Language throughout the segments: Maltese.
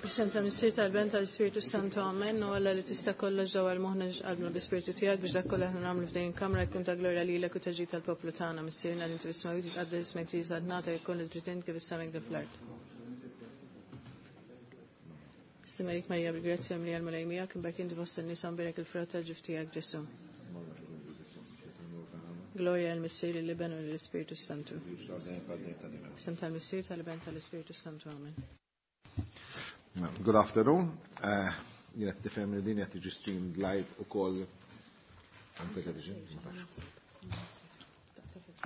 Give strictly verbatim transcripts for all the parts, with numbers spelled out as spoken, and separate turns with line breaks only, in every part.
Isem ta' Missier tal-Ben tal-Ispirtu Santu Amen, u Alla li tista' kollox dawwal moħħna qalbna bi-Spirtu tiegħek biex dak kollha aħna nagħmlu f'din il-kamra jkun ta' glorja lilek u ta' ġid tal-poplu tagħna. Missierna li inti fis-smewwiet titqaddes ismek tiġi saltnata jkun il-trid kif is-sema hekk fl-art. Simerik Marija bil-grazzja mlija l-Mulej miegħek, imbagħad inti fost in-nisa mbierek il-frott tal-ġuf tiegħek Ġesù. Gloria al Missier l-Iben u l-Ispirtu Santu. Isem tal-Missier tal-Iben tal-Ispirtu Santu. Amen.
Good afternoon. Uh, Jien qed tifhem li din qed tiġi streamed live ukoll on television. Ma tafx.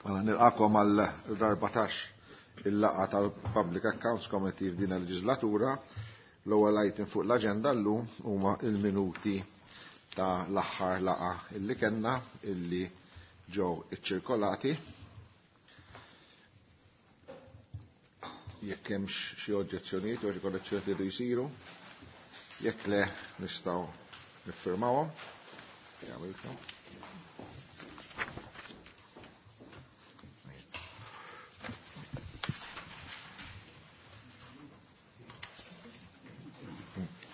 Mela nilqakom għal l-erbatax il-laqgħa tal-Public Accounts Committee f'din il-leġislatura. L-ewwel item fuq l-aġenda llum huma il-minuti ta' l-aħħar laqgħa illi kellna illi ġew iċċirkolati. Jekk hemmx xi oġġezzjonijiet jew xi korrezzjonijiet li jridu jsiru, jekk le nistgħu niffirmawhom. Jagħmilkom.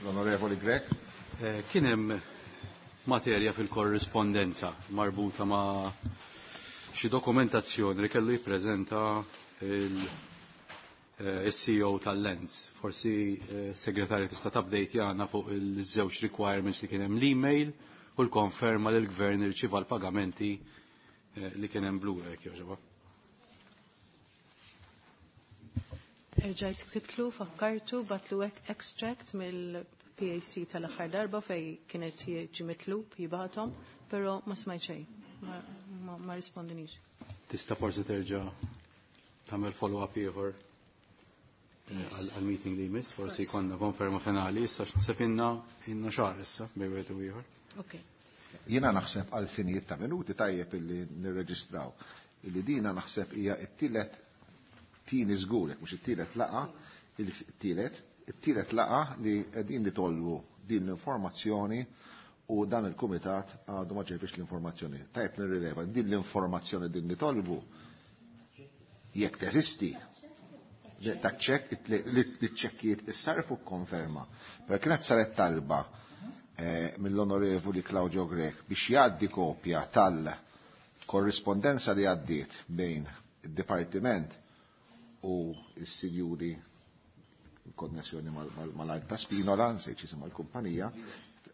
L-Onorevoli Grech.
Eh, Kien hemm materja fil-korrispondenza marbuta ma' xi dokumentazzjoni li kellu jippreżenta il-C E O tal-Lens. Forsi eh, segretarju tista' tabdejt jagħna fuq il-żewġ requirements li kien hemm l-email u l-konferma li l-gvern irċieva l-pagamenti, eh, li kien hemm blura jekk jogħġobha.
Erġajt ktibtlu, fakkartu, batlu extract mill-P A C tal-aħħar darba fej kienet ġi mitlub jibgħathom, però ma smajt xejn, ma, ma, ma rispondinix.
Tista' forsi terġa' tagħmel follow-up ieħor għal-meeting li jmiss, forsi
Forsi.
jkollna konferma finali, issa x'naħseb inna, inna xahar issa bejn wieħed u ieħor.
Ok.
Jiena naħseb għal finijiet ta' minuti tajjeb illi nirreġistraw. Illi dina naħseb hija t-tielet tieni żgur, jekk mhux it-tielet laqa, il-tielet, it-tielet laqa li qegħdin nitolbu din l-informazzjoni u dan il-kumitat għadu ma ġejfix l-informazzjoni. Tajjeb nirrileva din l-informazzjoni din nitolbu jekk teżisti ta' ċekk, li ċekkijiet issarfu konferma. Però kienet saret talba, eh, mill-Onorevoli Claudio Grech biex jgħaddi kopja tal-korrispondenza li għaddiet bejn id-Dipartiment u s-sinjuri konnessjoni mal-, mal-, mal-Art ta' Spinola, nsejt x'jisimha l-kumpanija,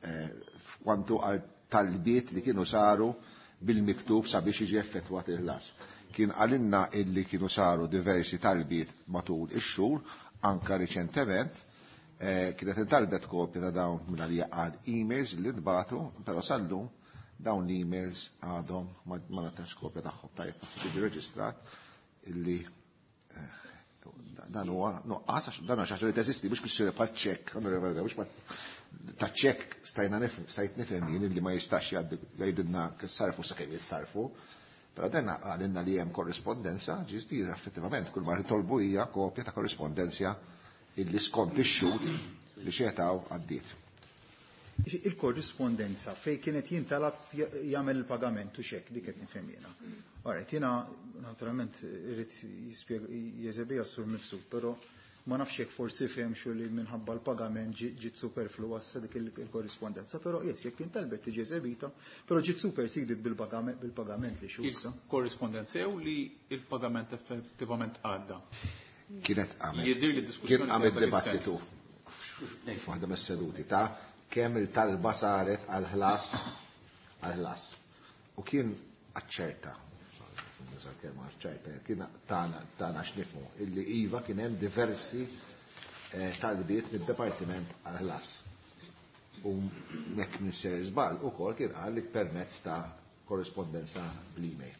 eh, f'kwantu għal talbiet li kienu saru bil-miktub sabiex jiġi effettwat il-ħlas. Kien għalinna illi kienu saru diversi talbiet matul ix-xhur, anka riċentement, eh, kienet intalbet kopja ta' dawn minn għalija għal emails li nbatu, però sallum dawn l-emails għadhom ma, ma natax kopja tagħhom. Tajjeb, tiġi reġistrat illi, eh, dan huwa nuqqas, għax dan huwa xi ħaġa li teżisti, mhux kwistjoni bħal ċekk, mhux bħal ta' ċekk stajna nifhem, stajt nifhem jien illi ma jistax jgħaddi, jgħidilna kif sarfu sakemm jissarfu. Però dan għalinna li hemm korrispondenza, ġisti effettivament kull ma nitolbu hija kopja ta' korrispondenza illi skont ix-xhur li xetaw għaddiet.
Il-korrispondenza fej kienet jintalab jagħmel il-pagament u xek, dik qed nifhem jiena. Alright, jiena naturalment irid jispjega jeżebija sur mifsud, però ma nafx jekk forsi fhem xu li minħabba l-pagament ġi-, ġiet superflu għassa dik il-, il-korrispondenza, però yes, jekk intalbet tiġi eżebita, però ġiet superseded bil-pagament, bil-pagament li xusa.
Il-korrispondenza jew li il-pagament effettivament għadda?
Kienet għamet.
Jidhir li d-diskussjoni
Kien għamet
kienet dak
dibattitu
is-sens.
f'waħda mis-seduti ta' kemm il-talba saret għal-ħlas, għal-ħlas. U kien aċċerta, kemm aċċerta, kien tana, tana x'nifhmu, illi iva kien hemm diversi, eh, talbiet mid-Dipartiment għal-ħlas. U nek minn ser żball ukoll kien qal li permezz ta' korrispondenza bl-email.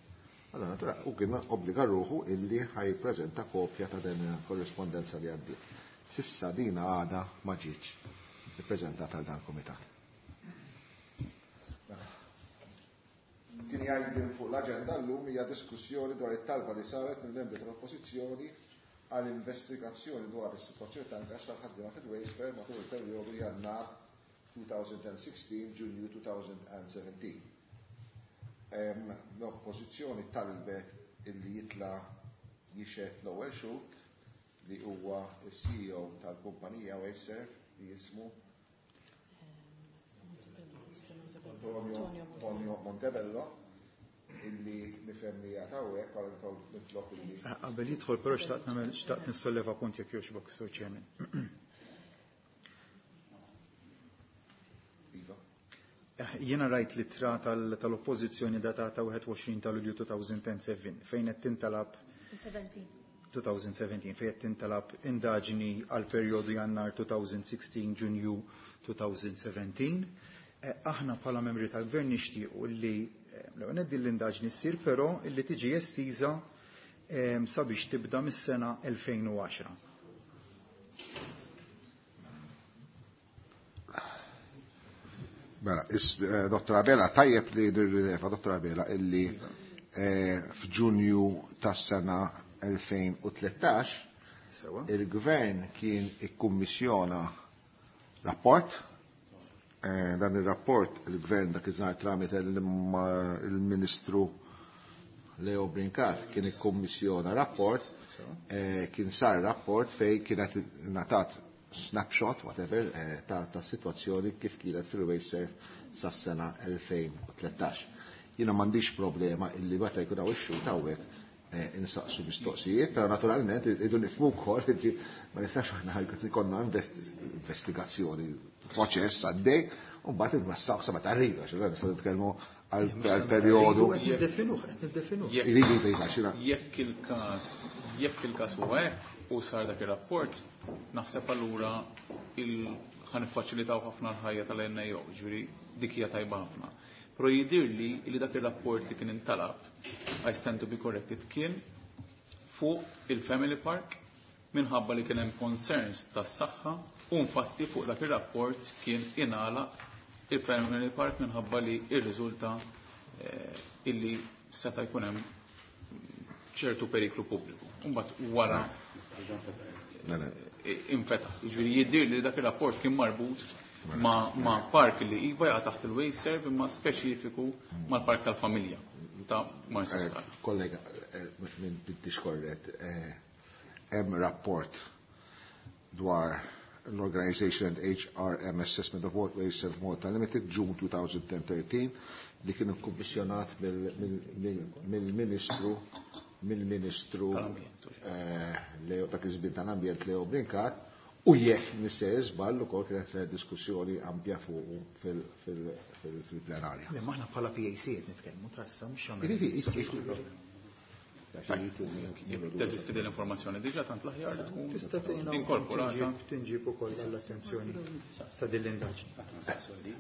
Allora, natura, u kien obbliga ruħu illi ħajpreżenta kopja ta' din korrispondenza li għaddiet. Sissa dina għada ma ġietx ippreżentata għal dan il-kumitat. Tieni item fuq l-aġenda llum hija diskussjoni dwar it-talba li saret mill-membri tal-Oppożizzjoni għal investigazzjoni dwar is-sitwazzjoni ta' ingaġġ tal-ħaddiema fil-Wastefair matul il-perjodu Jannar two thousand sixteen Ġunju two thousand seventeen. Em, L-Oppożizzjoni talbet illi jitla' jixhed l-ewwel xhud li huwa s-C E O tal-kumpanija Wasteserv, li jismu Antonio Montebello, illi nifhem li hawnhekk għal nitlob illi.
Qabel jidħol però xtaqt nagħmel xtaqt nissolleva punt jekk jogħġbok, Sur Chairman.
Iva.
Jiena rajt l-ittra tal-oppożizzjoni datata wieħed u għoxrin ta' Lulju elfejn u sbatax fejn qed tintalab elfejn u sbatax fejn qed tintalab indaġni għal perjodu Jannar elfejn u sittax Ġunju elfejn u sbatax. Aħna bħala membri tal-gvern nixtiequ li l-ewwel din l-indaġni ssir, però illi tiġi estiża sabiex tibda mis-sena elfejn u għaxra.
Mela, Dottor Abela, tajjeb li nirrileva, Dottor Abela, illi f'Ġunju tas-sena elfejn u tlettax il-gvern kien ikkummissjona rapport. Dan il-rapport il-gvern dak iż-żmien tramite il-Ministru Leo Brincat kien ikkummissjona rapport, kien sar rapport fej kienet natat snapshot, whatever, ta', ta' situazzjoni kif kienet fil-WasteServ sas-sena elfejn u tlettax. Jiena m'għandix problema illi meta jkun hawn ix-xhud hawnhekk insaqsu mistoqsijiet, però naturalment irridu nifhmu wkoll li ma nistax aħna jkollna investigazzjoni, proċess għaddej, u mbagħad inwessaw sa meta rridu, għax allura nistgħu nitkellmu għal perjodu. Iridu jgħidu,
Jekk il-każ, jekk il-każ huwa hekk u sar dak ir-rapport, naħseb allura ħa niffaċilitaw ħafna l-ħajja tal-N A O, ġifieri dik hija tajba ħafna. Però jidhirli li dak ir-rapport li kien intalab, I stand to be corrected, kien fuq il-Family Park minħabba li kien hemm concerns tas-saħħa u infatti fuq dak ir-rapport kien ingħalaq il-Family Park minħabba li irriżulta, eh, illi seta' jkun hemm ċertu periklu pubbliku. Imbagħad wara infetaħ. Jiġifieri jidhir li dak ir-rapport kien marbut ma, ma park li iva jaqa' taħt il-WasteServ imma speċifiku mal-park tal-familja ta' Marsaskala.
Eh, kollega, eh, minn bintix korret, eh, hemm rapport dwar l-Organization and H R M Assessment of WasteServ Malta Limited, June two thousand thirteen, li kienu kummissjonat mill-Ministru mill-Ministru,
Tal-Ambjent,
eh, Leo, dak iż-żmien tal-Ambjent Leo Brincat, u jekk nisser żball ukoll kienet ser diskussjoni ampja fuq fil-, fil-, fil-, fil-plenarja.
Le, maħna bħala P A C qed nitkellmu tassa mhux għamel.
Ivi, ivi, ivi.
Teżisti din l-informazzjoni diġà tant l-aħjar li tkun
Tista' tgħinna u
inkorporata.
tinġib, tinġib ukoll għall-attenzjoni ta' din l-indaġni.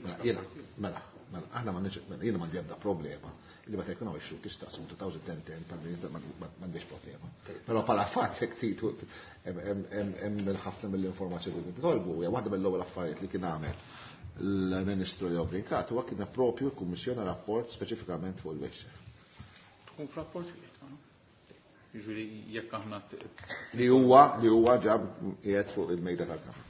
Mela, jiena, mela, mela, aħna ma niġ-, mela, jiena m'għandi ebda problema li meta jkun hawn ix-xhud tistaqsu two thousand ten ten m'għandix problema. Però bħala fatt jekk titu hemm ħafna mill-informazzjoni li nitolbu, hija waħda mill-ewwel affarijiet li kien għamel l-Ministru Leo Brincat huwa kien propju kkummissjona rapport speċifikament fuq il-WasteServ.
Tkun f'rapport wieħed, no? Jiġifieri jekk aħna t-
Li huwa, li huwa ġab qiegħed fuq il-mejda tal-Kamra.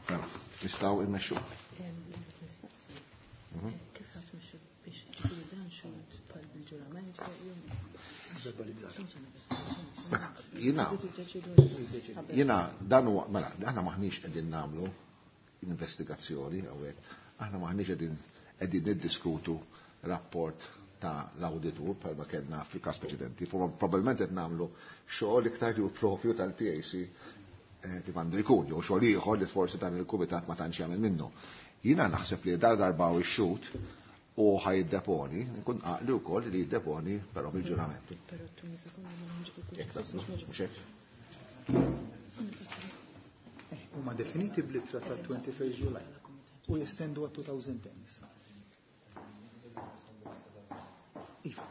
Mela, nistgħu immexxu.
Kif ħadd mexxu biex ġifieri dan xogħol bħal bil-ġurament
Verbalizzat.
Jiena, jiena dan huwa, mela, aħna maħniex qegħdin nagħmlu investigazzjoni hawnhekk, aħna maħniex qegħdin qegħdin niddiskutu rapport ta' l-awditur bħalma kellna fil-każ preċedenti. Probabbilment qed nagħmlu xogħol iktar li hu propju tal-P A C, eh, kif għandu jkun, jew xogħol ieħor li forsi dan il-kumitat ma tantx jagħmel minnu. Jiena naħseb li dar darba u x-xut u ħajiddeponi, nkun għaqli wkoll li jiddeponi però bil-ġurament. Jekk taqblu, mhux hekk?
Eh, huma definiti bl-ittra ta' twenty-first July u jestendu għat two thousand ten issa. Iva.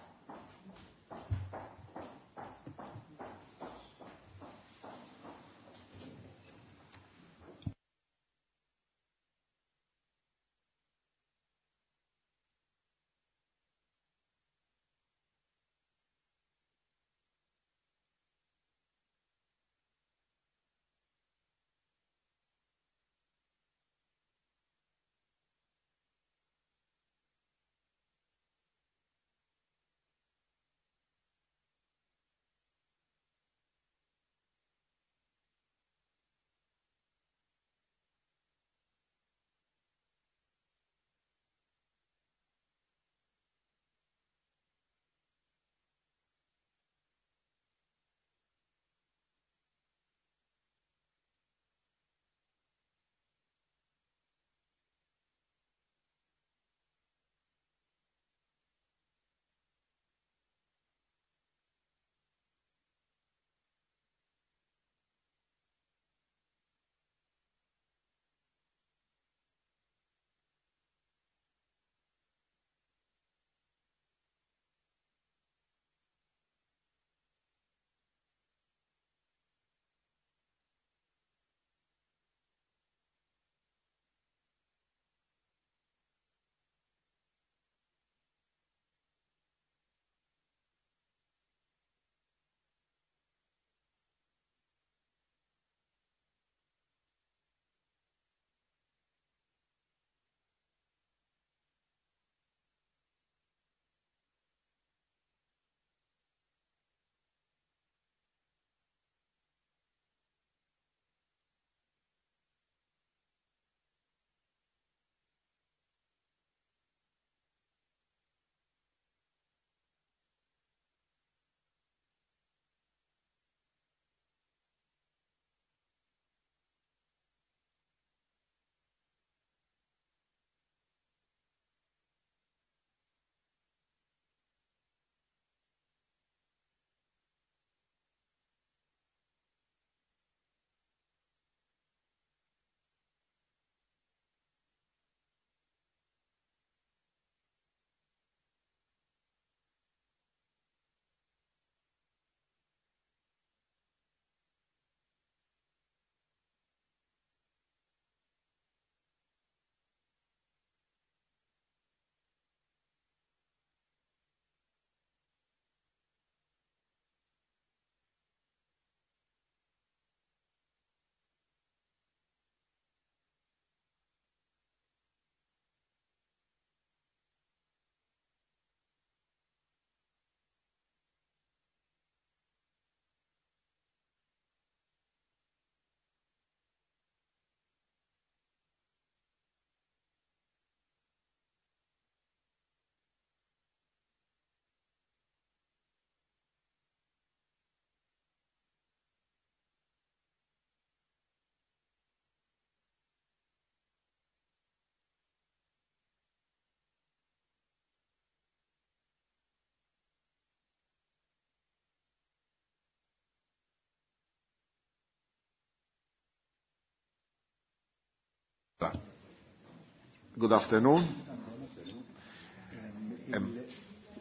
Good afternoon.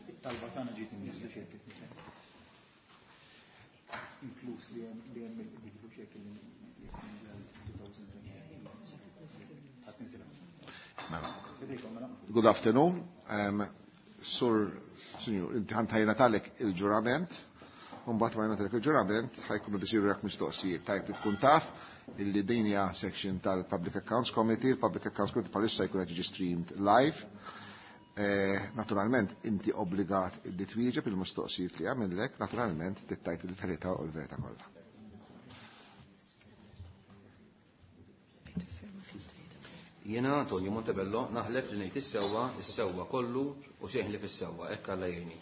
It-talba tagħna ġiet imniżla xi inkluż li hemm li hemm il-bidlu xi
Good afternoon. Um, Sur, Signor, inti ħantajna talek il-ġurament, mbagħad ma jingħatalek il-ġurament, ħajkunu bisiru jak mistoqsijiet. Tajb li tkun taf illi din hija section tal-Public Accounts Committee, il-Public Accounts Committee bħalissa jkun qed jiġi streamed live. Eh, naturalment inti obbligat li twieġeb il-mistoqsijiet li għamillek, naturalment tittajt il-verità u l-verità kollha.
Jiena Antonio Montebello naħlef li ngħid is-sewwa, is-sewwa kollu u xejn li fis-sewwa, hekk Alla jgħinni.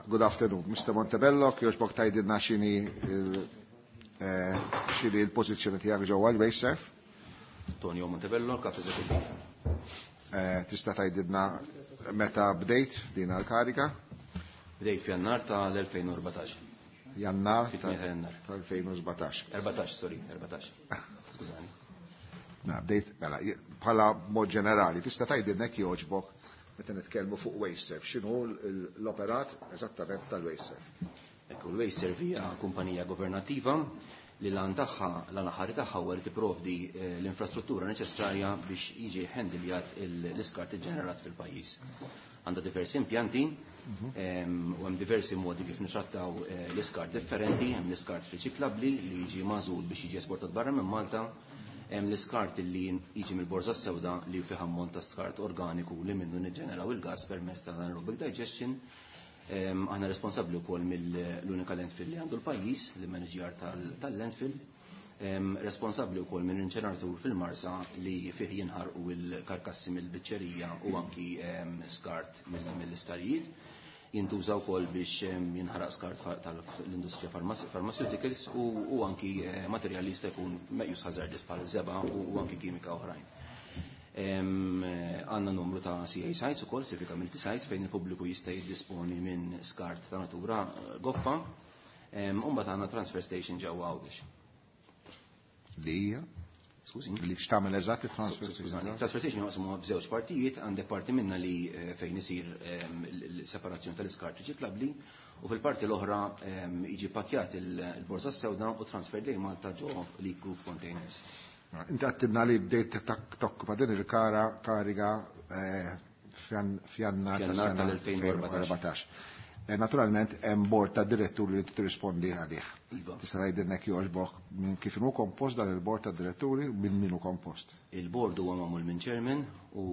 Good afternoon, Mister Montebello, kjoġbok tgħidilna x'inhi x'inhi l-pożizzjoni tiegħek ġewwa l-WasteServ?
Antonio Montebello, kap eżekuttiv.
Tista' tgħidilna meta bdejt din l-kariga?
Bdejt f'Jannar tal-elfejn u erbatax.
Jannar
tal-elfejn u
sbatax.
Erbatax, sorry, erbatax. Skużani.
Na, bdejt, mela, bħala mod ġenerali, tista' tgħidilna jekk jogħġbok meta nitkellmu fuq WasteServ, x'inhu l-operat eżattament tal-WasteServ?
Ekku, l-WasteServ hija kumpanija governattiva li l-għan tagħha, l-għan tagħha huwa li tipprovdi l-infrastruttura neċessarja biex jiġi ħendiljat l-iskart iġġenerat fil-pajjiż. Għandha diversi impjanti u hemm diversi modi kif nitrattaw l-iskart differenti, hemm l-iskart riċiklabbli li jiġi magħżul biex jiġi esportat barra minn Malta, hemm l-iskart li jiġi mill-borża sewda li fih ammont ta' skart organiku li minnu niġġeneraw il-gas permezz ta' anaerobic digestion. Aħna responsabbli wkoll mill-unika landfill li għandu l-pajjiż, li manager tal-landfill, responsabbli wkoll minn inċeneratur fil-Marsa li fih jinħarqu l-karkassi mill-biċċerija u anki skart mill-istarijiet. Jintuża wkoll biex jinħaraq skart tal-industrija pharmaceuticals u anki materjal li jista' jkun meqjus hazardous bħal żebgħa u anki kimika oħrajn. Għandna numru ta' C A sites ukoll, Civic Community Sites, fejn il-pubbliku jista' jiddisponi minn skart ta' natura goffa. U mbagħad għandna transfer station ġewwa Għawdex.
Li hija?
Skużini.
Li x'tagħmel eżatt il-transfer station?
Transfer station jaqsmu b'żewġ partijiet, għandek parti minna li fejn isir l-separazzjoni tal-iskart riċiklabbli u fil-parti l-oħra jiġi pakkjat il-borża sewda u transfer lejn Malta ġo leak proof containers.
Inti għattidna li bdejt tokkupa din il-kara kariga f'Jannar
tal-elfejn u erbatax.
Naturalment hemm bord ta' diretturi li tirrispondi għalih.
Iva.
Tista' tgħidilna jekk jogħġbok minn kif inhu kompost dan il-bord ta' diretturi minn min hu kompost.
Il-bord huwa magħmul minn chairman u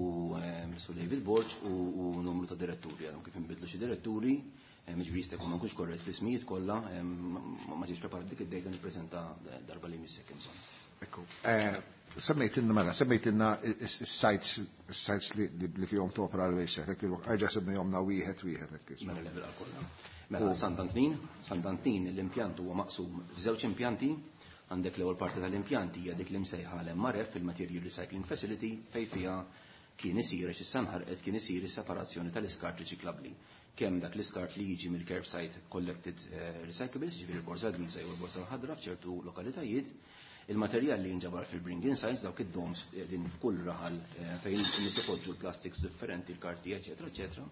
Mister David Borg u numru ta' diretturi. Għadhom kif inbidlu xi diretturi, jiġifieri jista' jkun ma nkunx korrett fl-ismijiet kollha, ma ġiex preparat dik id-dejta nippreżenta darba li jmiss hekk bżonn.
Ekku. Semmejtilna mela, semmejtilna is-sites is-sites li fihom topra l-WasteServ, hekk erġa' semmejhomna wieħed wieħed hekk.
Mela level għal kollha. Mela Sant'Antnin, Sant'Antnin l-impjant huwa maqsum f'żewġ impjanti, għandek l-ewwel parti tal-impjanti hija dik li msejħa l-M R F, il-Material Recycling Facility, fejn fiha kien isir għax issa nħarqet kien isir is-separazzjoni tal-iskart riċiklabbli. Kemm dak l-iskart li jiġi mill-curbside collected recyclables, ġifieri l-borża griża jew l-borża l-ħadra f'ċertu lokalitajiet, il-materjal li jinġabar fil-bring-in sites, dawk id-doms din f'kull raħal fejn nies ipoġġu l-plastics differenti, l-karti, eċetera, eċetera.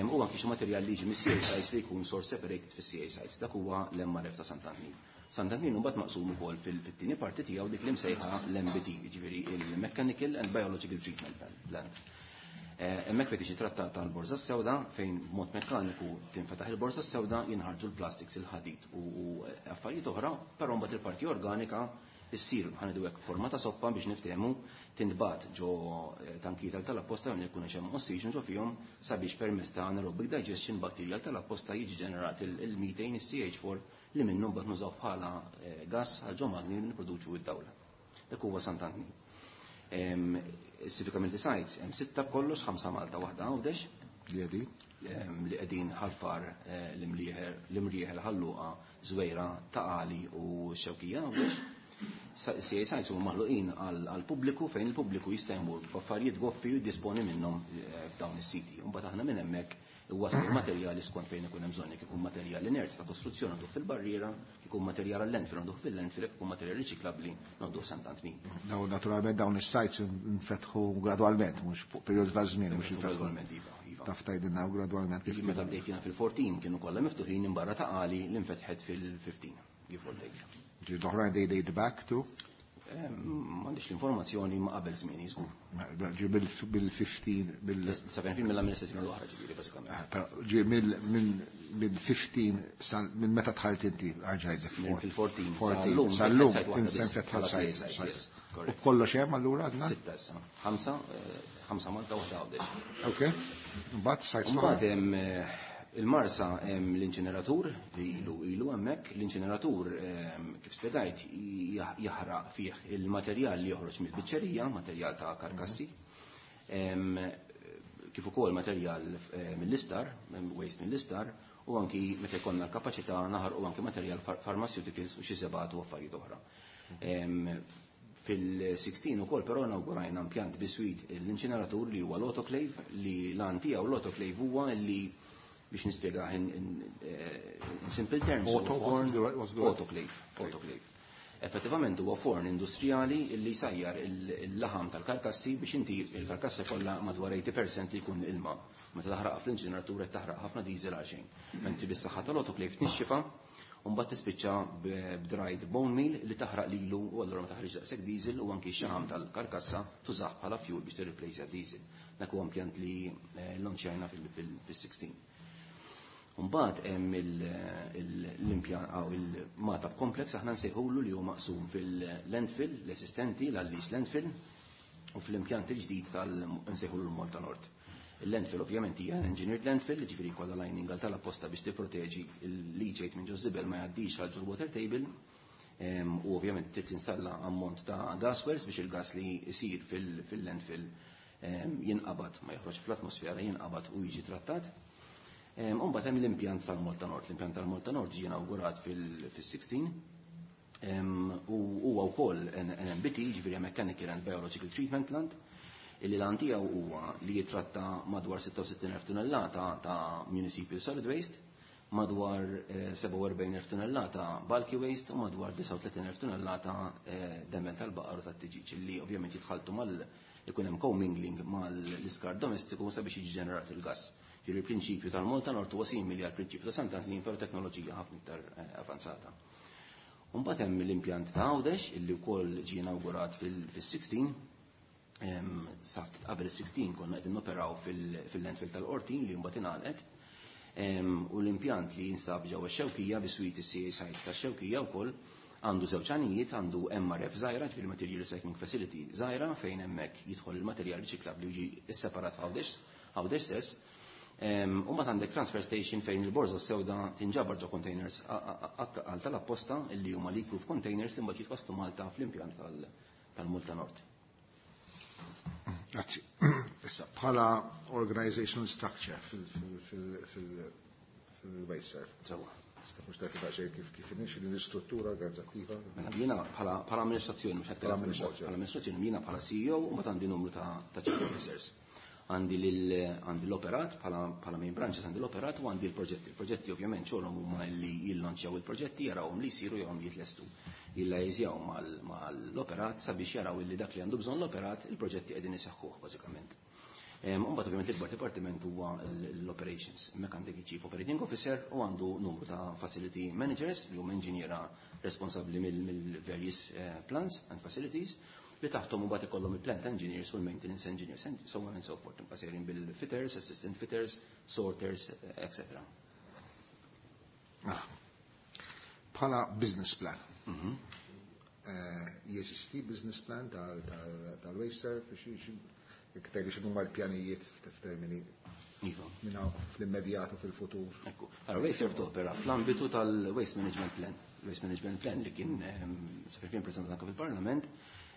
U anki xi materjal li jiġi mis-C A sites li jkun source separated fis-C A sites. Dak huwa l-M R F ta' Sant'Antnin. Sant'Antnin mbagħad maqsum ukoll fit-tieni parti tiegħu dik li msejħa l-M B T, jiġifieri il-Mechanical and Biological Treatment Plant. Hemmhekk fejn tiġi trattata l-borża s-sewda fejn b'mod mekkaniku tinfetaħ il-borża s-sewda jinħarġu l-plastics, il-ħadid u affarijiet oħra, però mbagħad il-parti organika issir ħanidu hekk forma ta' soppa biex niftehmu tintbagħat ġo tankijiet tal-apposta fejn ikun hemm oxygen ġo fihom sabiex permezz ta' anaerobic digestion bakterjal tal-apposta jiġi ġenerat il-methane, is-C H four li minnu mbagħad nużaw bħala gas għal ġo magni li nipproduċu id-dawla. Dak huwa Sant'Antnin. Civic Community Sites hemm sitta b'kollox, ħamsa Malta, waħda Għawdex.
Li qegħdin?
Li qegħdin Ħalfar, l-Imrieħel, Ħalluqa, Żwejra, Ta' Qali u Xewkija Għawdex. C A sites huma maħluqin għall-pubbliku fejn il-pubbliku jista' jmur b'affarijiet goffi u jiddisponi minnhom f'dawn is-siti. Imbagħad aħna minn hemmhekk iwasslu l-materjali skont fejn ikun hemm bżonn, jekk ikun materjal inert ta' kostruzzjoni nagħduh fil-barriera, jekk ikun materjal għall-landfill nagħduh fil-landfill, jekk ikun materjal riċiklabbli nagħduh Sant'Antnin.
Daw naturalment dawn is-sites infetħu gradwalment, mhux fuq perjodu ta' żmien, mhux infetħu.
Gradwalment, iva, iva.
Taf tgħidilna gradwalment kif
Meta bdejt jiena fil-fourteen kienu kollha miftuħin imbarra ta' Qali li nfetħet fil-fifteen, give or take.
Ġi l-oħrajn they date back to?
M'għandix l-informazzjoni ma qabel żmien żgur.
Ġi bil-fifteen, bil-
Seventeen mill-amministrazzjoni l-oħra ġifieri bażikament.
Però ġi mill-fifteen sal minn meta dħalt inti għarġajt
Fil-fourteen
sal-lum,
sal-lum,
sal-lum, insen fetħal
sajt,
sajt,
yes,
sajt.
correct.
U kollox hemm allura għadna?
Sitta issa. Ħamsa, ħamsa Malta u waħda Għawdex.
Ok. Mbagħad sajt
Mbagħad hemm il-Marsa hemm l-inċineratur li ilu ilu hemmhekk, l-inċineratur kif spjegajt jaħraq fih il-materjal li joħroġ mill-biċċerija, materjal ta' karkassi, kif ukoll materjal mill-isptar, waste mill-isptar, u anki meta jkollna l-kapaċità naħarqu anki materjal pharmaceuticals u xi sebat u affarijiet oħra. Fil-sixteen ukoll però inaugurajna impjant biswit l-inċineratur li huwa l-autoclave, li l-għan tiegħu l-autoclave huwa li biex nispjega in, in, in simple terms,
Auto,
huwa forn
what's the word? What's the word?
autoclave, autoclave. Effettivament huwa forn industrijali li jsajjar il-laħam tal-karkassi biex inti il-karkassa kollha madwar eighty percent li jkun ilma. Meta taħraq fl-inċineratur qed taħraq ħafna diesel għal xejn. Mentri bis-saħħa tal-autoclave tnixxifa u mbagħad tispiċċa b'dried bone meal li taħraq lilu u allura ma taħriġ daqshekk diesel u anki x-xaħam tal-karkassa tużah bħala fuel biex tirreplace diesel. Dak huwa impjant li lonċjajna fil-sixteen. Mbagħad hemm l-impjant aw il-Magħtab complex aħna nsejħulu li huwa maqsum fil-landfill, l-esistenti, l-Għallis landfill, u fl-impjant il-ġdid tal-nsejħulu l-Malta Nord. Il-landfill ovvjament hija engineered landfill, ġifieri kollha lining għal tal-apposta biex tipproteġi l-leachate minn ġo żibel ma jgħaddix għal ġol water table, u ovvjament trid tinstalla ammont ta' gas wells biex il-gas li jsir fil-landfill jinqabad, ma joħroġ fl-atmosfera, jinqabad u jiġi trattat. Imbagħad hemm l-impjant tal-Malta Nord. L-impjant tal-Malta Nord ġie inawgurat fil-sixteen, u huwa wkoll N M B T, ġifieri Mechanical and Biological Treatment Plant, illi l-għan tiegħu huwa li jitratta madwar sitta u sittin elf tunnellata ta' municipal solid waste, madwar sebgħa u erbgħin elf tunnellata bulky waste u madwar disgħa u tletin elf tunnellata demel tal-baqar u tat-tiġiġ, illi ovvjament jitħaltu mal ikun hemm commingling mal-iskart domestiku sabiex jiġi ġenerat il-gas. Ġifieri il-prinċipju tal-Malta Nord huwa simili għall prinċipju ta' Sant'Antnin, però teknoloġija ħafna iktar avanzata. Imbagħad hemm l-impjant ta' Għawdex illi wkoll ġie inawgurat fil-sixteen. Sa ftit qabel is-sixteen konna qegħdin noperaw fil-landfill tal-Qortin li mbagħad ingħalqet. U l-impjant li jinsab ġewwa x-Xewkija biswit is-C A site tax-Xewkija wkoll għandu żewġ għanijiet, għandu M R F żgħira, ġifieri Material Recycling Facility żgħira, fejn hemmhekk jidħol il-materjal riċiklabbli u jiġi sseparat f'Għawdex, Għawdex stess. U mbagħad għandek transfer station fejn il-borża sewda tinġabar ġo containers għal tal-apposta illi huma leak-proof containers li mbagħad jitwasslu Malta fl-impjant tal-Malta Nord.
Grazzi. Issa, bħala organizational structure fil-Wasteserv.
Sewwa.
Mhux tagħti daqsxejn kif kif inhi l-istruttura organizzattiva?
Mela, jiena bħala, bħala amministrazzjoni, mhux qed
Bħala
nitkellem fuq il-board,
amministrazzjoni.
bħala amministrazzjoni jiena bħala C E O u mbagħad għandi numru ta', ta' chief officers. Għandi lil, għandi l-operat, bħala, bħala main branches għandi l-operat u għandi l-proġetti. Il-proġetti ovvjament xogħolhom huma li jillonċjaw il-proġetti, jarawhom li jsiru jew jitlestu. Jillajżjaw mal-operat sabiex jaraw illi dak li għandu bżonn l-operat, il-proġetti qegħdin iseħħuh bażikament. Em, Imbagħad ovvjament l-ikbar dipartiment huwa l-operations. Hemmhekk għandek il-Chief Operating Officer u għandu numru ta' facility managers li huma inġiniera responsabbli mill-various, eh, plants and facilities li taħtom u mbagħad ikollhom il-plant engineers u l-maintenance engineers and so on and so forth. Imbagħad sejrin bil-fitters, assistant fitters, sorters, et cetera.
Ah. Bħala business plan.
Mhm.
Eh, jeżisti business plan tal-, tal-, tal-Wasteserv, jekk tgħidli x'inhuma l-pjanijiet f'termini
Iva.
minn hawn fl-immedjat u fil-futur.
Ekku. Allora, Wasteserv topera fl-ambitu tal-Waste Management Plan. Waste Management Plan li kien, ehm, sa fil-fien preżentat anke fil-Parlament,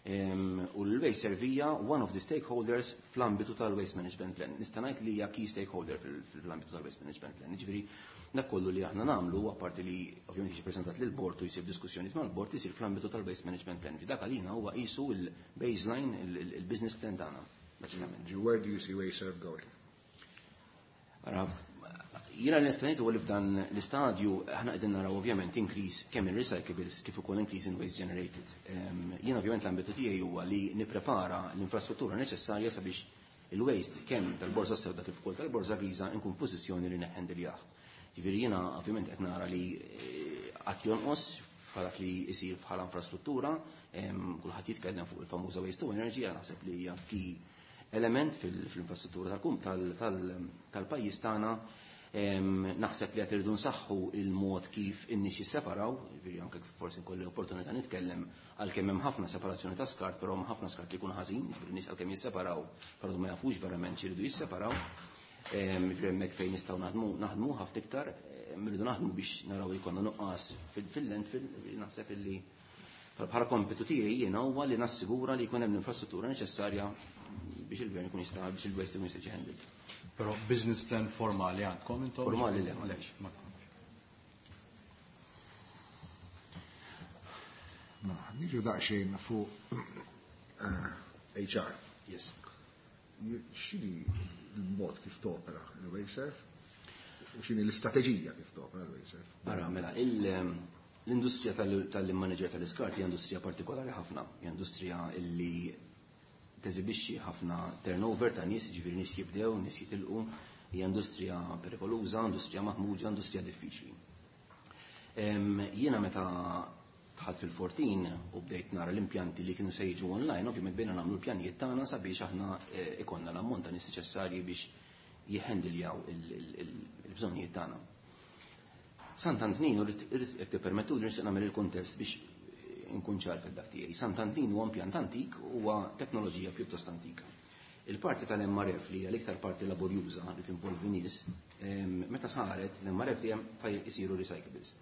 ehm, u l-Wasteserv hija one of the stakeholders fl-ambitu tal-Waste Management Plan. Nista' ngħid li hija key stakeholder fil-, fl-ambitu tal-Waste Management Plan. Jiġifieri, Dak kollu li aħna nagħmlu, apparti li ovvjament jiġi preżentat lil bord u jsir diskussjonijiet mal-bord, isir fl-ambitu tal-waste management plan. Dak għalina huwa qisu il-baseline, il-business plan tagħna, basikament.
Where do you see WasteServ going?
Ara, jiena l-nistanejt huwa li f'dan l-istadju aħna qegħdin naraw ovvjament increase kemm in recyclables kif ukoll increase in waste generated. Jiena ovvjament l-ambitu tiegħi huwa li nipprepara l-infrastruttura neċessarja sabiex il-waste kemm tal-borża sewda kif ukoll tal-borża griża nkun f'pożizzjoni li neħħendiljah. Ġifieri jiena ovvjament qed nara li qatt jonqos bħala li jsir bħala infrastruttura, kulħadd jitkellem fuq il-famuża waste to energy, naħseb li hija key element fil-infrastruttura tal-pajjiż tagħna. Naħseb li qed irridu nsaħħu il-mod kif in-nies jisseparaw, ġifieri anke forsi nkolli opportunità nitkellem għalkemm hemm ħafna separazzjoni ta' skart, però hemm ħafna skart li jkun ħażin, ġifieri n-nies għalkemm jisseparaw, però ma jafux verament x'iridu jisseparaw. Ġifieri hemmhekk fejn nistgħu naħdmu naħdmu ħafna iktar, irridu naħdmu biex naraw li jkollna nuqqas fil-landfill, naħseb illi bħala kompitu tiegħi jiena huwa li nassigura li jkun hemm l-infrastruttura neċessarja biex il-gvern ikun jista' biex il-waste ikun jista' jiġi.
Però business plan formali għandkom intom?
Formali le.
Għaliex, ma tkomx.
Mela, niġu daqsxejn fuq H R.
Yes.
X'inhi l-mod kif topera il-WasteServ? U x'inhi l-istrateġija kif topera il-WasteServ?
Ara, mela, l-industrija tal-manager tal-iskart hija industrija partikolari ħafna, hija industrija illi teżibixxi ħafna turnover ta' nies, ġifieri nies jibdew, nies jitilqu, hija industrija perikoluża, industrija maħmuġa, industrija diffiċli. Jiena meta dħalt fil-fourteen u bdejt nara l-impjanti li kienu se jiġu online, ovvjament bejna nagħmlu l-pjanijiet tagħna sabiex aħna ikonna l-ammont ta' nies neċessarji biex jihhandiljaw il-bżonnijiet tagħna. Sant'Antnin, irrid jekk tippermettu li nixtieq nagħmel il-kuntest biex nkun ċar fid-dak tiegħi. Sant'Antnin huwa impjant antik, huwa teknoloġija pjuttost antika. Il-parti tal-M R F li hija l-iktar parti laborjuża li tinvolvi nies, meta saret l-M R F dejjem fej isiru recyclables.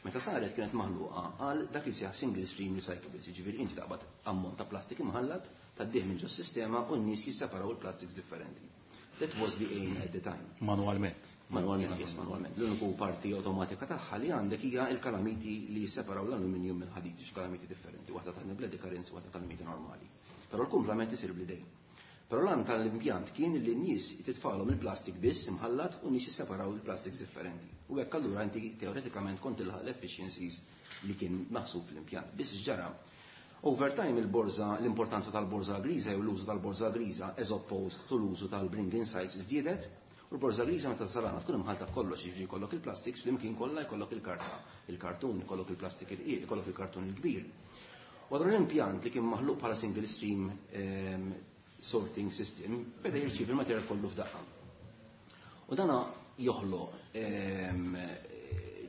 Meta saret kienet maħluqa għal dak li sejjaħ single stream recyclables, jiġifieri inti taqbad ammont ta' plastik imħallat, tgħaddih minn ġos-sistema u n-nies jisseparaw il-plastics differenti. That was the aim at the time.
Manualment.
Manualment, yes, manualment. L-uniku parti automatika tagħha li għandek hija l-kalamiti li jisseparaw l-aluminium minn ħadid, kalamiti differenti, waħda ta' bledi currents, waħda kalamiti normali. Però l-kumplament isir bl-idejn. Però l-għan tal-impjant kien li n-nies titfalhom il-plastik biss imħallat u n-nies jisseparaw il-plastics differenti. U hekk allura inti teoretikament kont tilħaq l-efficiencies li kien maħsub fl-impjant. Biss ġara, over time il-borża, l-importanza tal-borża griża jew l-użu tal-borża griża as opposed to l-użu tal-bring in sites żdiedet, u l-borża griża meta tasal tkun imħalta b'kollox, jiġifieri jkollok il-plastics flimkien kollha jkollok il-karta, il-kartun, jkollok il-plastik il-qiegħ, jkollok il-kartun il-kbir. U allura l-impjant li kien maħluq bħala single stream sorting system beda jirċievi il-materjal kollu f'daqqa. U dana joħloq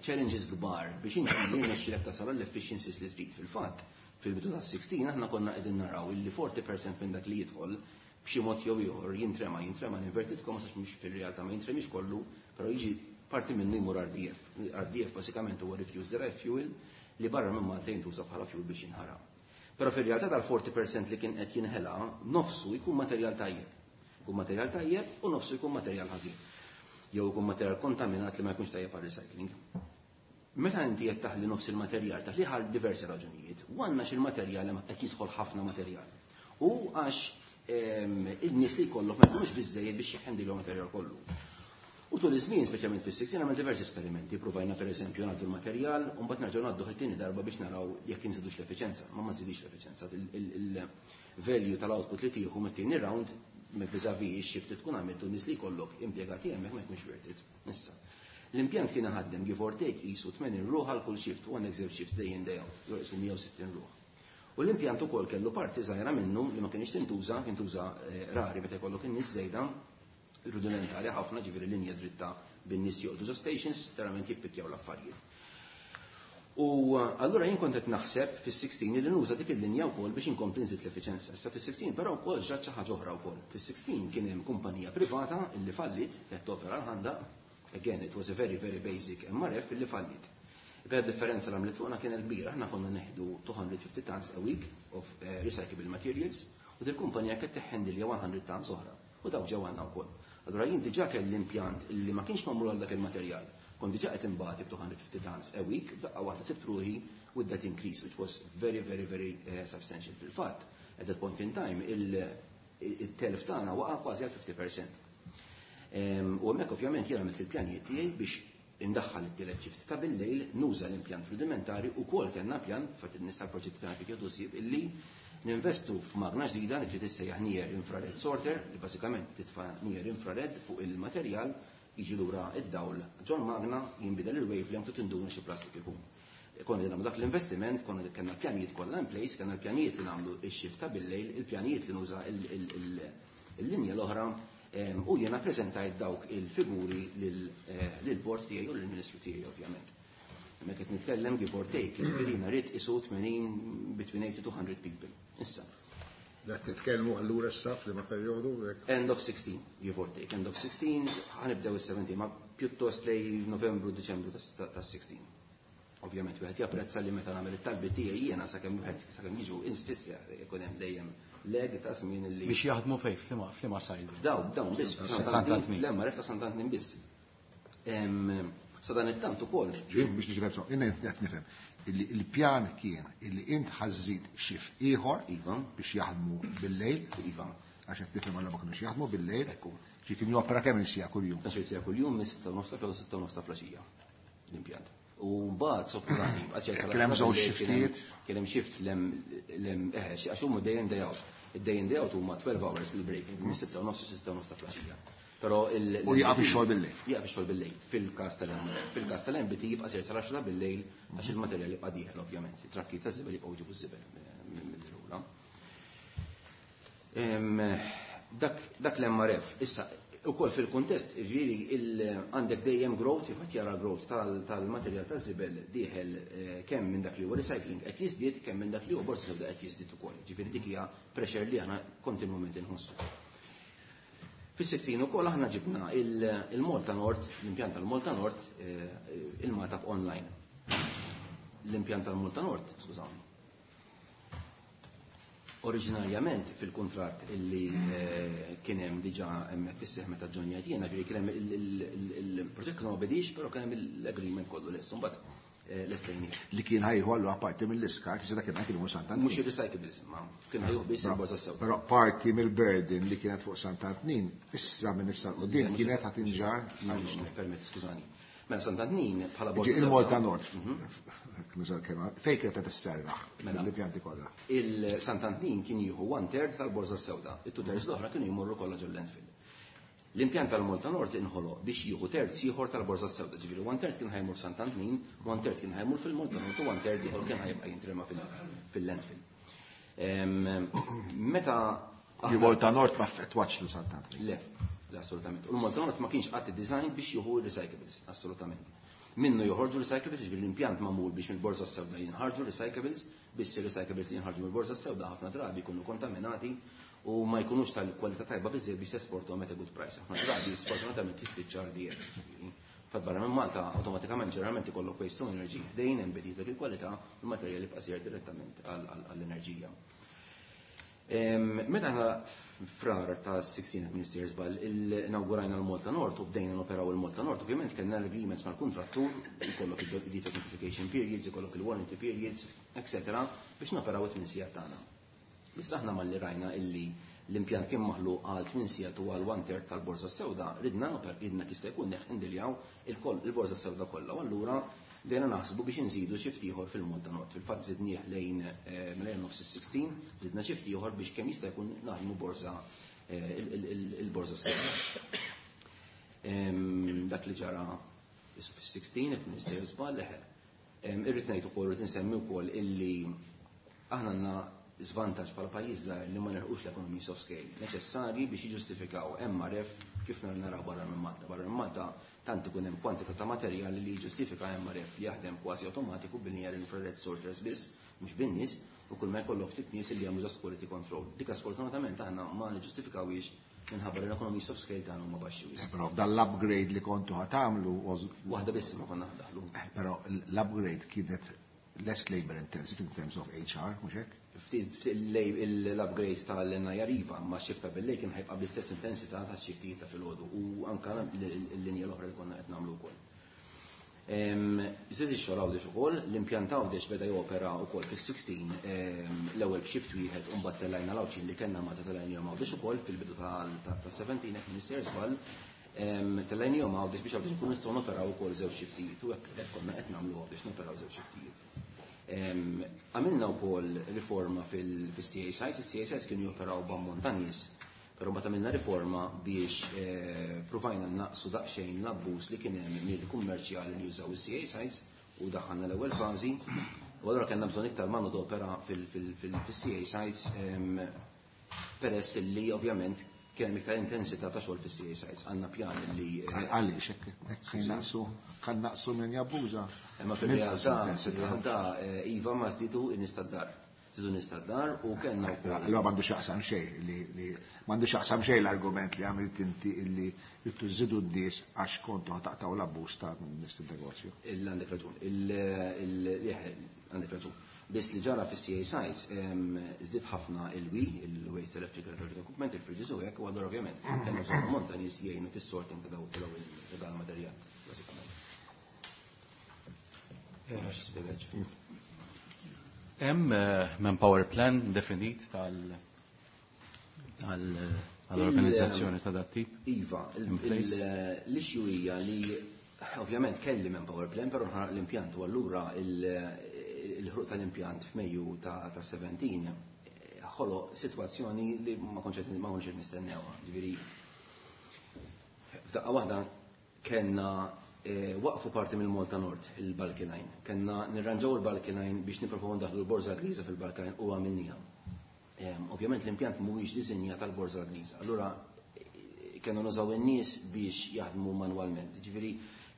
challenges kbar biex inti jirnexxilek tasal l-efficiencies li trid. Fil-fatt, fil-bidu tas-sixteen aħna konna qegħdin naraw illi forty percent minn dak li jidħol b'xi mod jew ieħor jintrema, jintrema inverted commas għax mhux fir-realtà ma jintremix kollu, però jiġi parti minnu jmur R D F. R D F basikament huwa refuse derived fuel li barra minn Malta jintuża bħala fuel biex jinħaraq. Però fir-realtà tal-forty percent li kien qed jinħela, nofsu jkun materjal tajjeb. Jkun materjal tajjeb u nofsu jkun materjal ħażin. Jew jkun materjal kontaminat li ma jkunx tajjeb għal recycling. Meta inti qed taħli nofs il-materjal, taħli għal diversi raġunijiet. U għandna xi l-materjal li qed jidħol ħafna materjal. U għax il-nies li jkollok ma jkunux biżżejjed biex jħendilhom materjal kollu. U tul iż-żmien, speċjalment fis-sixteen, għamel diversi esperimenti. Provajna pereżempju ngħaddu l-materjal u mbagħad nerġgħu ngħaddu it-tieni darba biex naraw jekk inżidux l-effiċenza. Ma ma żidix l-effiċenza. Il-value tal-output li tieħu mit-tieni round vis-à-vis ix-shift li tkun għamilt u n-nies li jkollok impjegati hemmhekk ma jkunx worth it. Issa. L-impjant kien ħaddem give or take qisu tmenin ruħ għal kull shift, u għandek żewġ shift day in day out, jew qisu mija u sittin ruħ. U l-impjant ukoll kellu parti żgħira minnu li ma kienx tintuża, tintuża rari meta jkollok in-nies żejda, rudimentari ħafna, ġifieri linja dritta bin-nies joqgħodu ġo stations, verament jippikjaw l-affarijiet. U allura jien kont qed naħseb fis-sixteen li nuża dik il-linja wkoll biex inkompli nżid l-effiċenza. Issa fis-sixteen però wkoll ġrat xi ħaġa oħra wkoll. Fis-sixteen kien hemm kumpanija privata illi fallit qed topera l-ħandaq. Again, it was a very, very basic M R F illi fallit. Beda differenza li għamlet fuqna kienet kbira. Aħna konna neħdu two hundred fifty tons a week of recyclable materials u dil-kumpanija kienet teħħendilja one hundred tons oħra. U daw ġew għandna wkoll. Allura jien diġà kelli impjant illi ma kienx magħmul għal dak il-materjal. Kont diġà qed imbati b' two hundred fifty tons a week, f'daqqa waħda sibt ruħi with that increase, which was very, very, very uh, substantial. Fil-fatt, at that point in time, il-telf tagħna waqa' kważi għal fifty percent. U hemmhekk ovvjament jiena għamilt il-pjanijiet tiegħi biex indaħħal it-tielet shift ta' bil-lejl, nuża l-impjant rudimentari u kol kellna pjan, fatt nista' l-proġetti tagħna kif jieħdu illi ninvestu f'magna ġdida li trid tissejjaħ near infrared sorter, li bażikament titfa' near infrared fuq il-materjal, jiġi lura id-dawl ġol magna, jinbidel il-wavelength u tinduna xi plastik ikun. Konna nagħmlu dak l-investiment, konna kellna l-pjanijiet kollha in place, kellna l-pjanijiet li nagħmlu ix-shift ta' bil-lejl, il-pjanijiet li nuża il-linja l-oħra, u jiena preżentajt dawk il-figuri lill-bord tiegħi u lill-Ministru tiegħi ovvjament. Hemmhekk qed nitkellem give or take, jiġifieri rrid isu eighty, between eighty to one hundred people. Issa.
Dak titkellmu allura issa f'liema perjodu?
End of sixteen, give or take. End of sixteen, ħa nibdew is-seventeen, ma pjuttost lej Novembru, Deċembru ta' sixteen. Ovvjament wieħed japprezza li meta nagħmel it-talbi tiegħi jiena sakemm wieħed sakemm jiġu insfissja jkun hemm dejjem lag ta' żmien li.
Biex jaħdmu fejn, f'liema f'liema site?
Daw, dawn biss, l-M R F ta' Sant'Antnin biss. Sa dan it-tant ukoll.
Ġim biex niġi jien qed nifhem il-pjan kien illi int ħa żżid shift ieħor
iva.
biex jaħdmu bil-lejl.
Iva.
Għax qed nifhem għalla ma kinux jaħdmu bil-lejl.
Ekku.
Ġi kien jopera kemm il-siegħa kuljum?
Tnax-il siegħa kuljum, minn sitta u nofs ta' filgħodu, sitta u nofs ta' filgħaxija l-impjant. U mbagħad sopprani,
Kien hemm żewġ shiftijiet?
Kien hemm shift lem lem eh għax huma day in, day out. Id-day in, day out huma twelve hours bil-break, minn sitta u nofs sitta u nofs ta' filgħaxija. Però il
U jaqaf ix-xogħol bil-lejl.
Jaqaf ix-xogħol bil-lejl fil-każ tal-M R F. Fil-każ tal-M B T jibqa' sejjer sal-għaxra bil-lejl għax il-materjal jibqa' dieħel ovvjament. It-trakki ta' żibel jibqgħu jġibu ż-żibel mill-rula. Dak dak l-M R F issa ukoll fil-kuntest, ġifieri għandek dejjem growth, jifat jara growth tal-materjal ta' żibel dieħel, eh, kemm minn dak li huwa recycling qed jiżdied, kemm minn dak li huwa borza sewda qed jiżdied ukoll. Ġifieri dik hija pressure li aħna kontinwament inħossu. Fis-sixteen ukoll aħna ġibna il-Malta Nord, l-impjant tal-Malta Nord, eh, il-Magħtab online. L-impjant tal-Malta Nord, skużawni. Oriġinarjament fil-kontrat illi eh, kien hemm diġà hemmhekk fis-seħ meta ġonjat jiena, ġifieri kien hemm il-proġett kien ma bedix, però kien hemm l-agreement kollu lest, imbagħad eh, lestejnieh.
Li kien ħa jieħu allura parti mill-iskart, issa dak kien imur Sant'Antnin.
Mhux ir-recyclables, ma kien ħa jieħu biss il-borza sew.
Però parti mill-burden li kienet fuq Sant'Antnin, issa minn issa 'l quddiem kienet ħa tinġarr.
Permett, skużani. Mela Sant'Antnin bħala borza.
Il-Malta Nord, fejn kienet qed isserraħ
Mela.
l-impjanti kollha?
Il-Sant'Antnin kien jieħu one third tal-borza sewda, it-two thirds l-oħra kienu jmorru kollha ġol landfill. L-impjant tal-Malta Nord inħoloq biex jieħu terz ieħor tal-borza sewda, ġifieri one third kien ħa jmur Sant'Antnin, one third kien ħa jmur fil-Malta Nord u one third ieħor kien ħa jibqa' jintrema fil-landfill. Meta
Il-Malta Nord ma affettwatx lil Sant'Antnin.
Le, le, assolutament. U l-Malta Nord ma kienx qatt design biex jieħu recyclables, assolutament. Minnu joħorġu recyclables, ġifieri l-impjant magħmul biex mill-borza sewda jinħarġu recyclables, biss recyclables li jinħarġu mill-borza sewda ħafna drabi jkunu kontaminati u ma jkunux tal-kwalità tajba biżejjed biex tesportom at a good price. Ħafna drabi sfortunatament tispiċċa R D X. Fat barra minn Malta awtomatikament ġeneralment ikollok waste to energy ħdejn hemm bediet dak il-kwalità, il-materjali jibqa' sejjer direttament għall-enerġija. Meta aħna Frar ta' sittax Minister żball inaugurajna l-Malta Nord u bdejna noperaw il-Malta Nord, ovvjament kellna l-agreements mal-kontrattur, ikollok il-defect notification periods, ikollok il-warranty periods, et cetera biex noperaw it-tmien sigħat tagħna. Issa aħna malli rajna illi l-impjant kien maħluq għal tmien sigħat u għal one third tal-borza sewda, ridna noper ridna kista jkun neħndiljaw il-borza sewda kollha. U allura bdejna naħsbu biex nżidu shift ieħor fil-Malta Nord. Fil-fatt żidnieh lejn eh, lejn nofs is-sittax, żidna shift ieħor biex kemm jista' jkun naħdmu borza eh, il-borza sewda. Dak li ġara fis-sittax qed nissejjer żball leħe. Irrid ngħid ukoll, irrid insemmi wkoll illi aħna għandna żvantaġġ bħala pajjiż żgħir li ma nilħqux l-economies of scale neċessarji biex jiġġustifikaw M R F kif naraw barra minn Malta. Barra minn Malta tant ikun hemm kwantità ta' materjali li jiġġustifika M R F li jaħdem kważi awtomatiku bil-near infrared sorters biss, mhux bin-nies, u kull ma jkollok ftit nies li jagħmlu just quality control. Dik sfortunatament aħna ma niġġustifikawiex minħabba li l-economies of scale tagħna huma baxxi wisq.
Eh, però dal-upgrade li kontu ħa tagħmlu was
Waħda biss ma konna daħlu.
Eh, però l-upgrade kienet less labor intensive in terms of H R, mhux hekk?
Ftit l-upgrade tal-N I R iva, ma x-shift ta' bil-lejl kien ħa jibqa' bl-istess intensità ta' xiftijiet ta' filgħodu u anka l-linja l-oħra li konna qed nagħmlu wkoll. Żied ix-xogħol Għawdex ukoll, l-impjant Għawdex beda jopera wkoll fis-sittax l-ewwel b'xift wieħed u mbagħad tellajna l-Għawdxin li kellna ma tellajnihom Għawdex ukoll fil-bidu tas-sittax hekk Minister żball. Tellajnihom Għawdex biex Għawdex nkunu nistgħu noperaw ukoll żewġ xiftijiet u hekk konna qed nagħmlu Għawdex noperaw żewġ xiftijiet. Għamilna wkoll riforma fil-C A sites, il-C A sites kienu joperaw b'ammont ta' nies, però mbagħad għamilna riforma biex provajna naqsu daqsxejn l-abbuż li kien hemm mill-kummerċjali li jużaw is-C A sites u daħħalna l-ewwel fażi. U allura kellna bżonn iktar manodopera fil-C A sites peress li ovvjament kien hemm iktar intensità ta' xogħol fis-C A sites. Għandna pjan li
Għaliex hekk kien naqsu, kan naqsu minn jabbuża.
Imma fil-realtà, fil-realtà iva ma żdiedu n-nies tad-dar. Żdiedu n-nies tad-dar u kellna wkoll.
Allura m'għandu x'jaqsam xejn li, li m'għandu x'jaqsam xejn l-argument li għamilt inti illi jittu żidu n-nies għax kontu ħataqtaw l-abbuż ta' nies fin-negozju.
Il għandek raġun. Il, il, għandek raġun. Biss li ġara fis-C A sites, żdied ħafna il-W I, il-Waste Electrical Electric Equipment, il-fridges u hekk, u allura ovvjament kellna bżonn ammont ta' nies jgħinu fis-sorting ta' daw ta' dan il-materjal, bażikament.
Hemm manpower plan definit tal-, tal-organizzazzjoni ta' dat tip?
Iva, il-,
In place?
il-, l-issue hija li ovvjament kelli manpower plan, però nħaraq l-impjant u allura il-, il-ħruq tal-impjant f'Mejju ta', ta' seventeen ħoloq sitwazzjoni li ma kontx qed, ma kontx qed nistennewha. Ġifieri f'daqqa waħda kellna, eh, waqfu parti mill-Malta Nord, il-Bulky Line. Kellna nirranġaw il-Bulky Line biex nipprovaw ndaħlu l-borża griża fil-Bulky Line u għamilniha. Em, ovvjament l-impjant mhuwiex disinjat tal-borża griża. Allura, eh, kellna nużaw in-nies biex jaħdmu manwalment. Ġifieri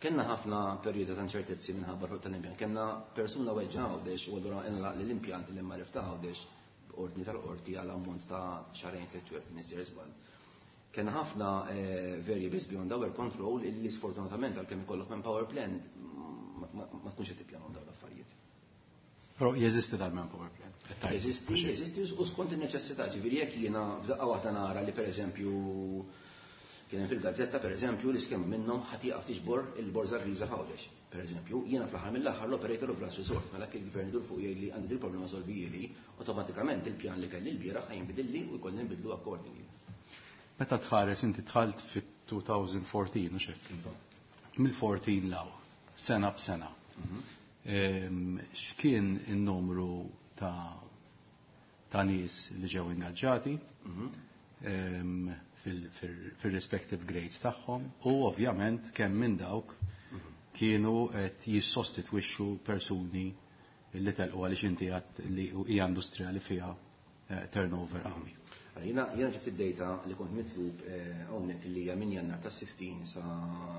kellna ħafna perjodi ta' inċertezzi minħabba l-ħruq tal-impjant. Kellna persuna weġġa Għawdex u allura inlaq li l-impjant li ma rifta Għawdex ordni tal-qorti għal ammont ta' xahrejn tliet xhur missier żball. Kellna ħafna, eh, variables beyond our control illi sfortunatament għalkemm ikollok manpower plan ma, ma, ma tkunx qed tippjanaw dawn l-affarijiet.
Però jeżisti dal-manpower plan?
Jeżisti, jeżisti u skont in-neċessità, ġifieri jekk jiena f'daqqa waħda nara li pereżempju kien hemm fil-gazzetta pereżempju l-iskema minnhom ħadd jieqaf tiġbor il-borża griża f'Għawdex. Pereżempju, jiena fl-aħħar mill-aħħar l-operator of last resort, mela kien il-gvern idur fuq jgħid li għandi dil problema solvijieli, awtomatikament il-pjan li kelli l-bieraħ ħa jinbidilli u jkollni nbidlu accordingly.
Meta tħares inti dħalt fit-two thousand fourteen, u xek? Mill-fourteen law, sena b'sena.
Mhm.
Ehm, x'kien in-numru ta', ta' nies li ġew ingaġġati?
Mhm.
Ehm, fil-, fil-, fil-respective grades tagħhom u ovvjament kemm minn dawk kienu qed jissostitwixxu persuni li telqu għaliex inti għedt li hija industrija li fiha, eh, turnover qawwi.
Allora, jiena, jiena ġibt id-data li kont mitlub, eh, hawnhekk li hija minn Jannar ta' sixteen sa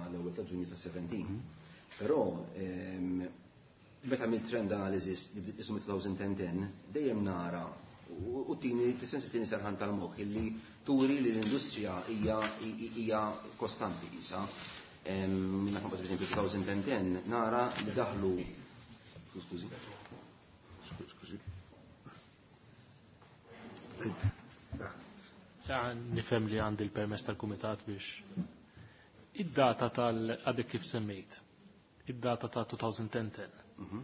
l-ewwel ta' Ġunju ta' seventeen.
Mhm.
Però, ehm, meta għamilt trend analysis li bdiet ismu twenty ten ten, dejjem nara u, u tini, fis-sens tini serħan tal-moħħ illi turi li l-industrija hija, hija kostanti isa. Ehm, minna per esempio twenty ten ten nara li daħlu, skużi.
Skużi.
Nifhem li għandi l-permess tal-kumitat biex id-data tal-għadek kif semmejt, id-data ta' twenty ten ten.
Mhm.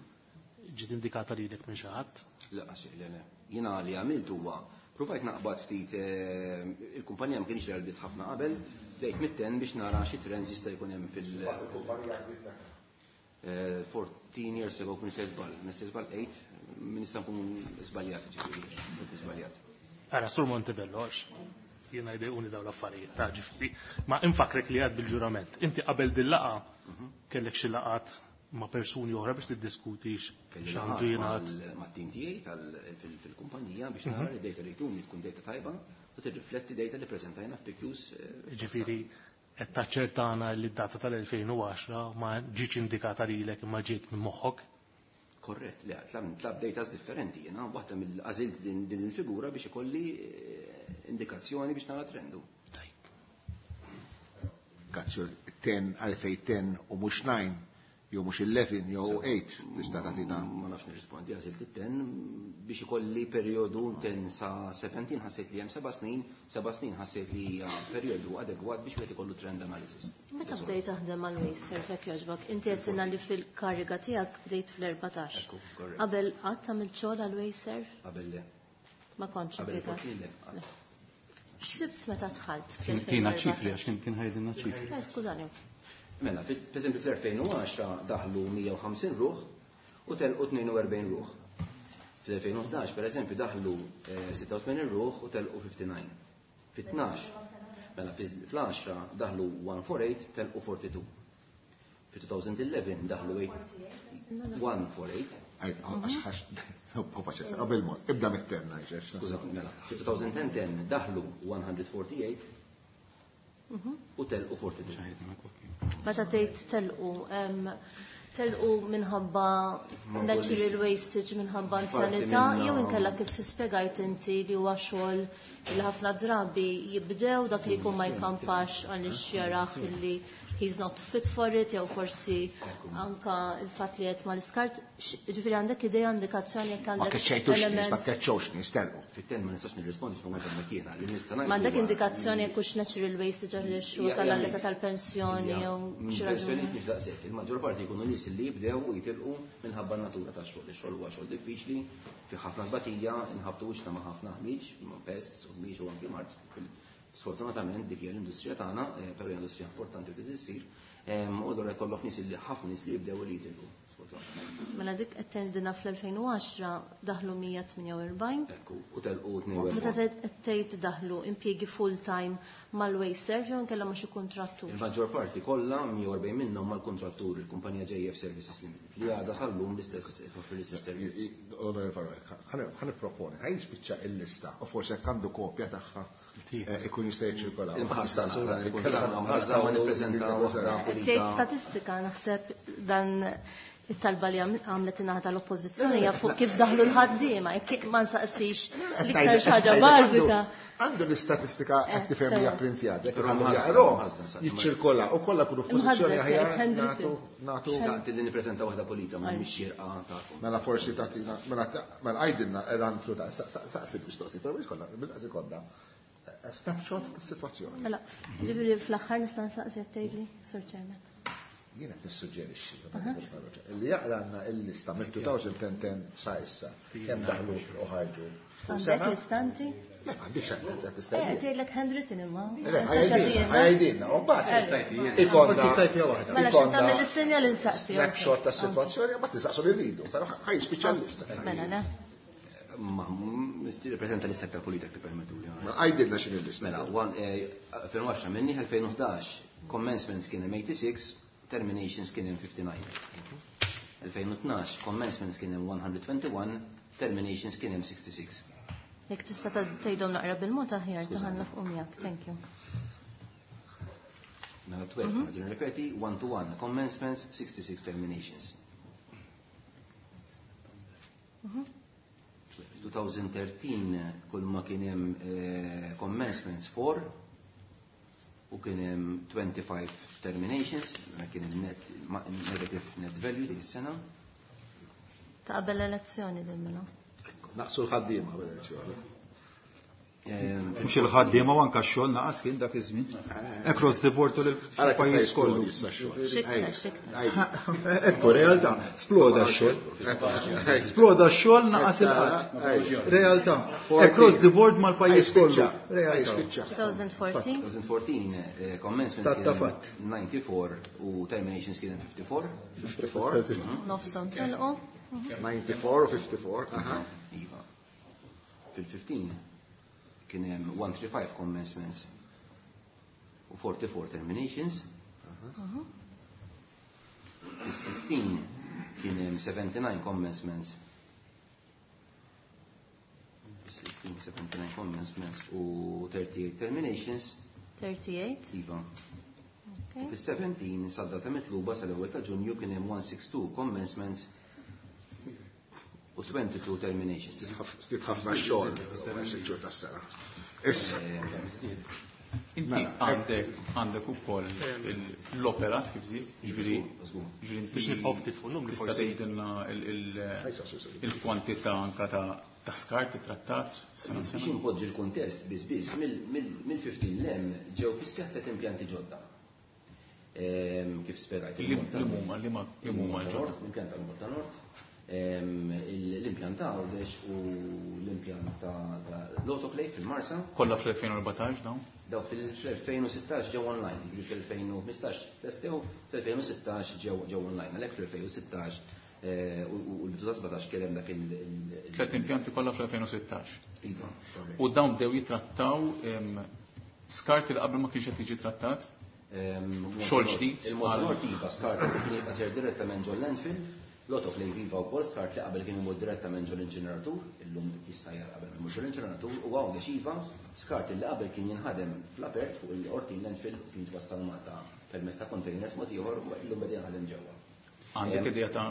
Ġiet indikata lilek minn xi ħadd?
Le, għax, le, le. Jiena li għamilt huwa provajt naqbad ftit, eh, il-kumpanija ma kienx li għalbit ħafna qabel, bdejt mit-ten biex nara xi trends jista' jkun hemm fil- Eh, fourteen years ago kun se żball, kun se żball eight, min nista' nkun żbaljat, ġifieri, nista' nkun żbaljat.
Ara, Sur Montebello, għax jiena jdejquni dawn l-affarijiet, ta' ġifieri, ma infakrek li għad bil-ġurament. Inti qabel din-laqgħa
Mhm.
kellek xi laqgħat ma' persuni oħra biex tiddiskuti
Kelli
x'għandu
laqgħat
jingħad.
mal-, mat-tim tiegħi tal-, fil-, fil-kumpanija biex nara li data li jtuni tkun data tajba u tirrifletti data li preżentajna f'P Qs, eh,
Ġifieri qed taċċertana li d-data tal-elfejn u għaxra ma ġietx indikata lilek imma ġiet minn moħħok?
Korrett, le, tlab, tlab data differenti, jiena waħda mill-għażilt din, din il-figura biex ikolli, eh, indikazzjoni biex nara trendu.
Indikazzjoni ten għalfejn ten u mhux nine Jew mhux eleven jew eight tista' tagħtina.
Ma nafx nirrispondi, għażilt it-ten biex ikolli perjodu ten sa seventeen, ħassejt li hemm seba' snin, seba' snin ħassejt li hija perjodu adegwat biex wieħed ikollu trend analysis.
Meta bdejt taħdem għal WasteServ jekk jogħġbok, inti għedtilna li fil-kariga tiegħek bdejt fl-erbatax.
Ekku, korrett.
Qabel qatt tagħmel xogħol għal WasteServ?
Qabel le.
Ma kontx
Qabel
impjegat.
il-fourteen le, qatt.
X'sibt meta dħalt
Tina ċifri, għax kien kien ħajdilna ċifri.
Eh, skużani.
Mela, per eżempju fl-elfejn u għaxra daħlu mija u ħamsin ruħ u telqu tnejn u erbgħin ruħ. Fl-elfejn u ħdax, per eżempju, daħlu, eh, sitta u tmenin ruħ u telqu fifty-nine. Fit-tnax, mela fl-għaxra daħlu one four eight, telqu forty-two. Fi two thousand eleven daħlu eight, one four eight.
Għaj, għax, għax, u paċenza, qabel mod, ibda mit-ten, ngħid,
Skuża, mela, fi two thousand ten ten daħlu one hundred forty-eight u telqu forty-two.
Meta tgħid telqu, em, telqu minħabba
Ma
natural
kollix.
wastage, minħabba
Parti
anzjanità,
minna
jew inkella kif spjegajt inti li huwa xogħol li ħafna drabi jibdew dak li jkun ma jkampax għaliex jaraħ illi he's not fit for it, jew forsi anka il-fatt li qed mal-iskart, ġifieri għandek idea, indikazzjoni jekk
Ma
għandek
keċċejtux nies,
element
ma tkeċċewx nies, telqu.
Fit-ten ma nistax nirrispondi x'ma kont hemmhekk jiena, li nista' ngħid
Ma għandek
huwa
indikazzjoni jekk hux natural wastage għaliex
Ja,
wasal
ja,
għall-età
mhix.
tal-pensjoni
Ja,
jew
minn
xi
pensjonijiet
raġuni.
mhux daqshekk. Il-maġġor parti jkunu nies li jibdew u jitilqu minħabba n-natura tax-xogħol. Ix-xogħol huwa xogħol diffiċli, fi ħafna tbatija, inħabtu wiċċna ma' ħafna ħmieġ, ma' pests u ħmieġ u anki mard. Sfortunatament dik hija l-industrija tagħna, eh, però hija industrija importanti u trid issir, em, u allura jkollok nies li ħafna nies li jibdew u li jitilqu, sfortunatament.
Mela dik qed tgħidilna fl-elfejn u għaxra daħlu mija tmienja u erbgħin.
Ekku, u telqu tnejn u
Meta
erbgħin.
qed tgħid daħlu impjiegi full time mal-WasteServ jew inkella ma' xi kuntrattur.
Il-maġġor parti kollha mija u erbgħin minnhom mal-kuntrattur il-kumpanija J F Services Limited li għadha sal-lum l-istess toffri l-istess servizz.
Onorevoli Farrugia, ħa nipproponi, ħa jispiċċa il-lista u forsi jekk għandu kopja tagħha, eh, ikun jista' jiċċirkola.
Imħassa naqra, ikun sa' mħassa ma nippreżenta waħda pulita.
Tgħid statistika naħseb dan it-talba li għam-, għamlet in-naħa tal-oppożizzjoni hija fuq kif daħlu l-ħaddiema, jekk ma nsaqsix l-iktar xi ħaġa bażika.
Għandu l-istatistika qed
Eh,
tifhem hija
sewa.
printjata, jekk
Però
għandu
mħażża,
jaqrom,
mħażża, mħażża.
jiċċirkola u kollha kunu f'pożizzjoni
Imħażża,
aħjar
handwritten.
nagħtu, nagħtu.
Daqt li nippreżenta waħda pulita ma mhix xierqa tagħkom.
Mela forsi tagħtina, mela ta-, mela għajdilna run through ta' sa-, sa-, saqsi mistoqsi, però mhix kollha, bil-qasi kollha. Snapshot tas-sitwazzjoni.
Mela, ġifieri fl-aħħar nista' nsaqsi qed tgħidli, Sur Chairman.
Jiena qed nissuġġerixxi, li jaqra għandna il-lista minn two thousand ten ten sa issa, kemm daħlu u ħarġu.
Għandek
Sena?
l-istanti?
Le, m'għandix għandek, qed
Eh,
tistenni.
tgħidlek handwritten imma.
Le, ħajdilna, ħajdilna, u mbagħad ikonna
Tajpja waħda.
Mela xi
ikonna
tagħmel is-sinjal insaqsi.
snapshot tas-sitwazzjoni, mbagħad nistaqsu li rridu, però ħaj jispiċċa l-lista.
Mela, le.
Ma, nirrappreżenta lista aktar pulita jekk tippermettuli.
Ma għajdilna x'inhi l-lista.
Mela, one, eh, elfejn u għaxra minni, elfejn u ħdax, commencements kien hemm eighty-six, terminations kien hemm fifty-nine. Elfejn u tnax, commencements kien hemm one hundred twenty-one, terminations kien hemm sixty-six.
Jekk tista' ta-, tgħidhom naqra bil-mod aħjar, taħanna fuq miegħek. Thank you.
Mela twelve, mm-hmm. Nirrepeti, one to one, commencements, sixty-six terminations.
Mm-hmm.
two thousand thirteen kull ma kien hemm, eh, commencements four u kien hemm twenty-five terminations, ma kien hemm net, ma, negative net value dik is-sena.
Ta' qabel l-elezzjoni din mela.
Naqsu l-ħaddiema qabel l-elezzjoni.
Ehm,
Mhux il-ħaddiema u anke x-xogħol naqas kien dak iż-żmien. Across the board u
Ara kif
l-pajjiż
jisplodi
kollu.
issa x-xogħol.
X'iktar,
Ej,
x'iktar.
ej.
Ekku, realtà, sploda x-xogħol. Sploda x-xogħol naqas il-qatt. Realtà. Across the board mal-pajjiż kollu. Realtà.
Spiċċa.
two thousand fourteen?
two thousand fourteen, eh, commencements
Stat ta'
kien
fatt.
ninety-four u terminations kien fifty-four.
fifty-four.
Nofshom telqu.
ninety-four u fifty-four. Aha.
Iva. Fil-fifteen kien hemm one three five commencements u forty-four terminations. Fil-sixteen kien hemm seventy-nine commencements. Sixteen, seventy-nine commencements u thirty-eight terminations.
thirty-eight?
Iva.
Okay.
Fis-seventeen sad-data mitluba sal-ewwel ta' Ġunju kien hemm one six two commencements u twenty-two terminations.
Stit ħafna xogħol, sitt xhur tas-sena. Issa.
Inti għandek għandek ukoll l-operat kif żied, ġifieri
biex nibqgħu ftit fuq numri
tista' tgħidilna il-kwantità anka ta' skart trattat sena
Biex inpoġġi l-kuntest biss biss mill-fifteen l-hemm ġew fis-seħħ tliet impjanti ġodda. Kif spjegajt.
Li huma li huma ġodda?
L-impjant tal-Malta Nord, l-impjant ta' Għawdex u l-impjant ta' l-autoclave fil-Marsa.
Kollha fl-elfejn u erbatax dawn?
Daw fil-elfejn u sittax ġew online, jiġifieri fl-elfejn u ħmistax testew, fl-elfejn u sittax ġew online, għalhekk fl-elfejn u sittax u l-bidu ta' sbatax kien hemm dak il-
Tliet impjanti kollha fl-elfejn u sittax.
Iva,
U dawn bdew jitrattaw skart li qabel ma kienx qed jiġi trattat? Xogħol ġdid?
Il-Malta Nord iva skart li kien jibqa' sejjer direttament ġol landfill, l-autoclave iva wkoll skart li qabel kien imur direttament ġol inċineratur, illum jissajjar qabel imur ġol inċineratur, u Għawdex iva skart li qabel kien jinħadem fl-apert fuq il-Qortin landfill u kien jitwassal Malta permezz ta' containers mod ieħor u illum beda jinħadem ġewwa.
Għandek idea ta'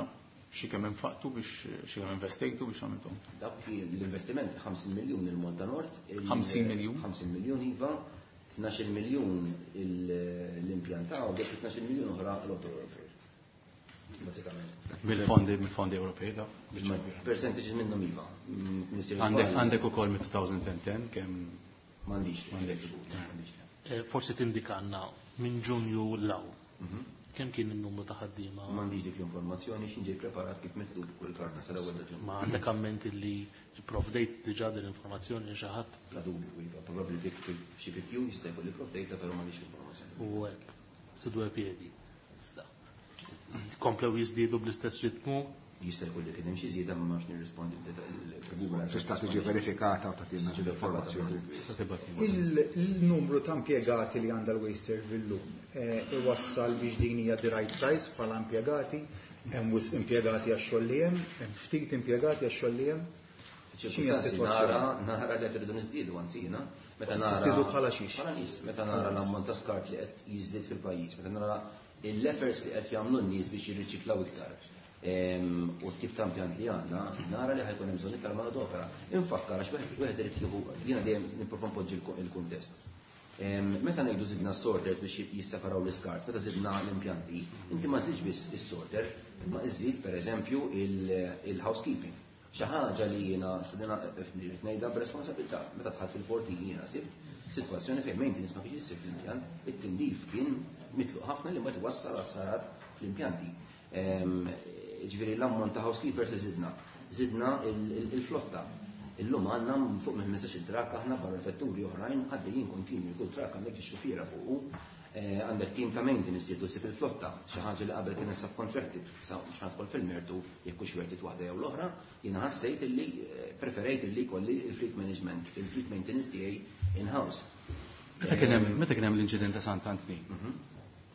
xi kemm infaqtu biex xi kemm investejtu biex għamiltu?
Dak kien l-investiment ħamsin miljun il-Malta Nord, il-
ħamsin miljun?
ħamsin miljun iva, tnax-il miljun l-impjant ta' Għawdex u tnax-il miljun oħra l-autoclave. Basikament.
Mill-fondi, mill-fondi Ewropej da?
Percentages minnhom iva.
Għandek, għandek ukoll mit two thousand and ten kemm
M'għandix.
M'għandekx.
M'għandix.
Eh, forsi tindikanna minn Ġunju l-aw. Kemm kien in-numru ta' ħaddiema?
M'għandix dik l-informazzjoni x'inġej ġej preparat kif mitlub kull karta sal-ewwel ta' Ġunju.
Ma għandek amment li provdejt diġà din l-informazzjoni xi ħadd?
La dubju, iva, probabbli dik xi P Q jista' jkolli provdejta, però m'għandix l-informazzjoni.
U hekk, su due piedi. Issa. Komplew jiżdiedu bl-istess ritmu?
Jista' jkun li kien hemm xi żieda, ma nafx nirrispondi b'deta-,
Tista' tiġi verifikata u tagħtina informazzjoni.
Tista' tibgħat
Il-numru ta' impjegati li għandha l-Wasteserv illum, eh, iwassal biex din hija the right size bħala impjegati, hemm wisq impjegati għax-xogħol li hemm, hemm ftit impjegati għax-xogħol li hemm. X'inhi s-sitwazzjoni?
Nara, nara li qed irridu niżdiedu anzi jiena, meta nara
Tiżdiedu bħala xiex?
Bħala nies, meta nara l-ammont ta' skart li qed jiżdied fil-pajjiż, meta nara l-efforts li qed jagħmlu n-nies biex jirriċiklaw iktar. Ehm, u t-tip ta' impjant li għandna, nara li ħajkun hemm bżonn iktar manodopera. Infakkar għax wieħed, wieħed irid jieħu, jiena dejjem nipprova npoġġi l-ko-, il-kuntest. Ehm, meta ngħidu żidna s-sorters biex jisseparaw l-iskart, meta żidna l-impjanti, inti ma żidx biss is-sorter, imma iżid pereżempju il-, il-housekeeping. Xi ħaġa li jiena stedina rrid ngħidha b'responsabilità. Meta dħalt fil-forti jiena sibt sitwazzjoni fejn maintenance ma kienx issir fl-impjant, it-tindif kien mitluq ħafna li mbagħad iwassal għal ħsarat fl-impjanti. Ehm, ġifieri l-ammont ta' housekeepers żidna, żidna il-, il-, il-flotta. Illum għandna fuq minn ħmistax-il trakk aħna barra vetturi oħrajn għaddejjin kontinwi, kull trakk għandek ix-xufiera fuqu. Eh, għandek team ta' maintenance jieħdu ssib il-flotta, xi ħaġa li qabel kienet subcontracted, sa mhux ħadħol fil-mertu jekk hux wertit waħda jew l-oħra, jiena ħassejt illi, eh, preferejt illi jkolli il-fleet management, il-fleet maintenance tiegħi in-house.
Meta kien hemm, meta kien hemm l-inċident ta' Sant'Antnin?
Mhm.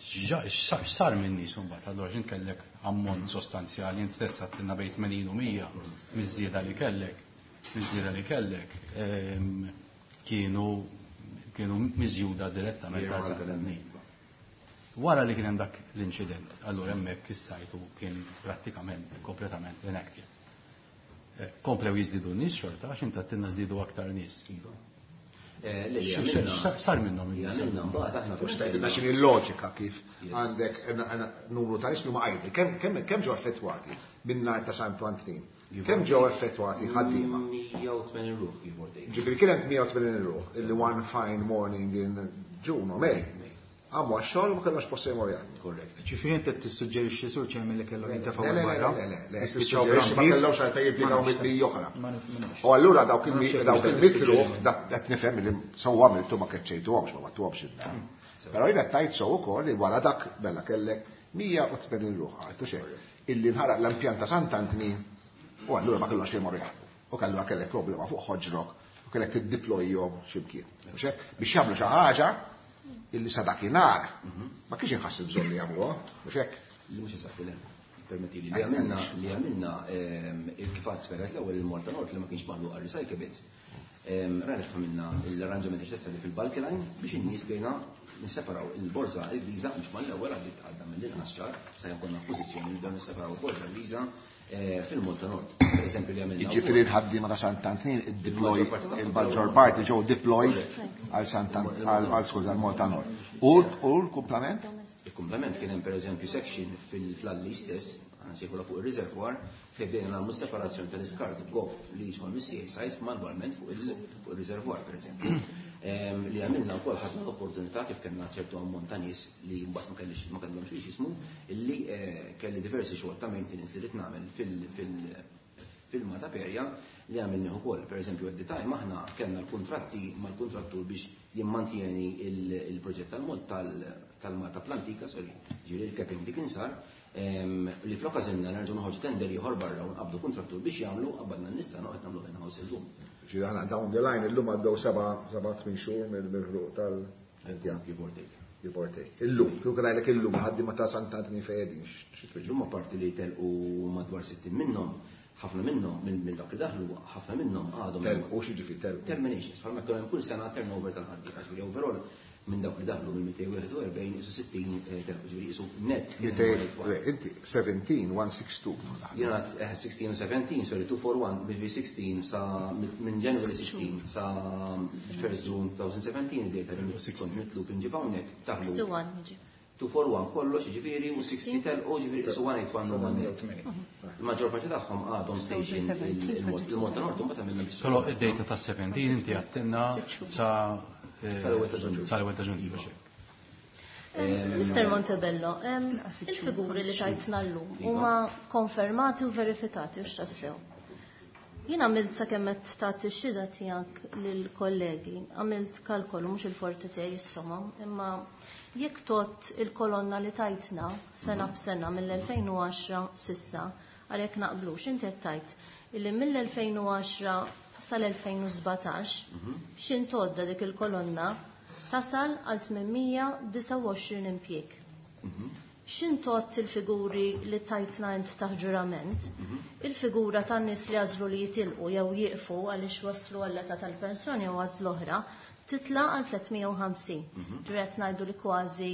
X'sar minn nies imbagħad? Allura x'int kellek ammont sostanzjali, int stess għedtilna bejn tmenin u mija miż-żieda li kellek, miż-żieda li kellek, ehm, kienu, kienu miżjuda direttament għal Sant'Antnin. Wara li kien hemm dak l-inċident, allura hemmhekk is-sajtu kien prattikament kompletament inactive. Eh, komplew jiżdiedu n-nies xorta, għax inti għedtilna żdiedu aktar nies.
Iva. Eh, le, li
X-,
għamilna
x-, x'sar minnhom
li
in-nies?
għamilna mbagħad aħna
Forsi
fil-
tgħidilna x'inhi l-loġika kif
Yes.
għandek n-, n-, numru ta' nies li huma idle. Kemm, kemm, kemm ġew effettwati minn nhar ta' Santu Antnin?
Iva.
Kemm ġew effettwati ħaddiema?
Mija u tmenin ruħ, give or take.
Ġifieri kien hemm mija u tmenin ruħ illi one fine morning in June or May. Għamu għax-xogħol ma kellhomx post jmorru jaħdmu.
Korrekt.
Ġifieri inti qed tissuġġerixxi sur Chairman li kellhom jintefgħu
Le, le, le,
barra?
le, le, le,
Jispiċċaw
tissuġġerixxi ma
bl-ambir?
kellhomx għalfejn jippjegaw
Ma nafx.
mit-mija oħra.
Ma naf-, ma nafx.
U allura dawk
Ma nafx
il-mi-,
jekk
dawk
qed
il-mitruħ,
tissuġġerixxi.
dak qed nifhem li sewwa għamiltu ma keċċejtuhomx, ma battuhomx id-dar. Però jiena tajt sew ukoll li wara dak mela kellek mija u tmenin ruħ, għaltu xejn. Illi nħaraq l-impjant ta' Sant'Antni u allura ma kellhomx jmorru jaħdmu. U allura kellek problema fuq ħoġrok u kellek tiddiplojhom x'imkien. Mhux hekk? Biex jagħmlu xi ħaġa illi sa dakinhar ma kienx inħass il-bżonn li jagħmluha, mhux hekk?
Li mhux eżatt, le. Permetti li li għamilna, li għamilna, ehm, il-kifat spjegat l-ewwel il-Malta Nord li ma kienx maħluq għal recyclables. Ehm, rajna kif għamilna l-arranġament necessarju fil-bulky line biex in-nies bejna nisseparaw il-borża il-griża biex mal-ewwel għaddiet għadda mill-inqas ċar sa jkun f'pożizzjoni li nibdew nisseparaw il-borża griża fil-Malta Nord. Per eżempju li għamilna.
Jiġifieri l-ħaddiema ta' Sant'Antnin id-deploy il-maġġor parti ġew deployed għal għal skuża għal Malta Nord. U l-kumplament?
Il-kumplament kien hemm pereżempju section fil-Flalli stess, nsejħula fuq ir-reservoir, fejn bdejna nagħmlu separazzjoni tal-iskart goff li jidħol mis-C S Is manwalment fuq il-reservoir, pereżempju. Li għamilna wkoll, ħadna l-opportunità kif kellna ċertu ammont ta' nies li mbagħad ma kellix ma kellhomx biex jismu, illi kelli diversi xogħol ta' maintenance li rid nagħmel fil-Mata Perja li għamilni ukoll. Per eżempju, at the time aħna kellna l-kontratti mal-kontrattur biex jimmantieni il-proġett tal-mod tal-Malta Plantika, sorry, ġifieri il-capping li kien sar, li flok għażilna nerġgħu noħorġu tender ieħor barra u nqabdu kontrattur biex jagħmlu, qabbadna n-nista noqgħod nagħmlu in-house illum.
Ġifieri aħna down the line illum għaddew seba' seba' tmien xhur mill-ħruq tal-Give
or take.
Give or take. Illum, kieku ngħidlek illum ħaddiema ta' Sant'Antnin fejn qegħdin.
Illum apparti li telqu madwar sittin minnhom, ħafna minnhom minn dak li daħlu, ħafna minnhom għadhom.
Telqu x'jiġifieri telqu?
Terminations, bħalma jkun hemm kull sena turnover tal-ħaddiema. Ġifieri overall minn dawk li daħlu minn mitejn u wieħed u erbgħin isu sittin telqu, ġifieri isu net.
Inti seventeen, one six two.
Jiena sixteen u seventeen, sorry, two four one, ġifieri sixteen sa minn January sixteen sa first June twenty seventeen id-data li kont mitlub inġib hawnhekk daħlu.
sixty-one, jiġi.
two four one kollox, ġifieri u sixty telqu, ġifieri isu one eight one u one net. Il-maġġor parti tagħhom għadhom station il-Malta Nord, mbagħad għamilna biex.
Però id-data ta' seventeen inti għattinna sa
Sal-ewwel ta' Ġunju.
Sal-ewwel ta' Ġunju.
Mister Montebello, il-figuri li tajtna llum huma konfermati u verifikati u x'tassew? Jien għamilt sakemm qed tagħti x-xhieda tiegħek lill-kollegi, għamilt kalkolu mhux il-forti tiegħi is-somom, imma jekk tot il-kolonna li tajtna sena b'sena mill-elfejn u għaxra sissa, għalhekk naqblux, inti qed tajt illi mill-elfejn u għaxra sal-elfejn u sbatax x'intodda dik il-kolonna tasal għal tmienmija u disgħa u għoxrin impjieg. X'intott il-figuri li tajtna int taħt ġurament, il-figura tan-nies li għażlu li jitilqu jew jieqfu għaliex waslu għall-età tal-pensjoni jew għażlu oħra, titla' għal tliet mija u ħamsin. Ġifieri qed ngħidu li kważi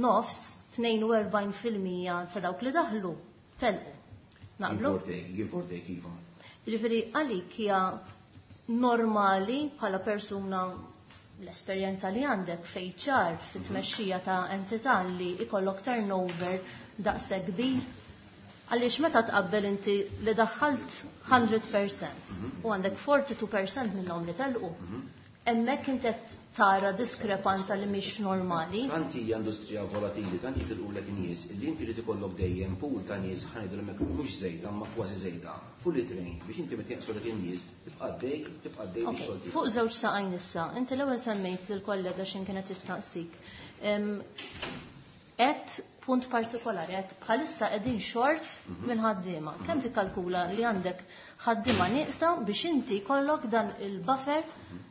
nofs, tnejn u erbgħin fil-mija ta' dawk li daħlu telqu. Naqblu?
Give or take, give or take, iva.
Ġifieri għalik hija normali bħala persuna l-esperjenza li għandek fejn ċar fit-tmexxija ta' entità li ikollok turnover daqshekk kbir? Għaliex meta tqabbel inti li daħħalt mija fil-mija u għandek forty-two percent minnhom li telqu, hemmhekk inti qed tara diskrepanza li mhix normali.
Tanti hija industrija volatili, tanti tilqulek nies, li inti li tikollok dejjem pool ta' nies, ħa ngħidu hemmhekk mhux żejda, ma kważi żejda, fully trained biex inti meta jaqsulek in-nies tibqa' dej, tibqa' dej
Ok,
bix-xogħol tiegħek.
Fuq żewġ saqajn issa, inti l-ewwel semmejt lill-kollega x'in kienet tistaqsik. Et punt partikolari, qed bħalissa qegħdin short minn ħaddiema. Kemm tikkalkula li għandek ħaddiema nieqsa biex inti jkollok dan il-buffer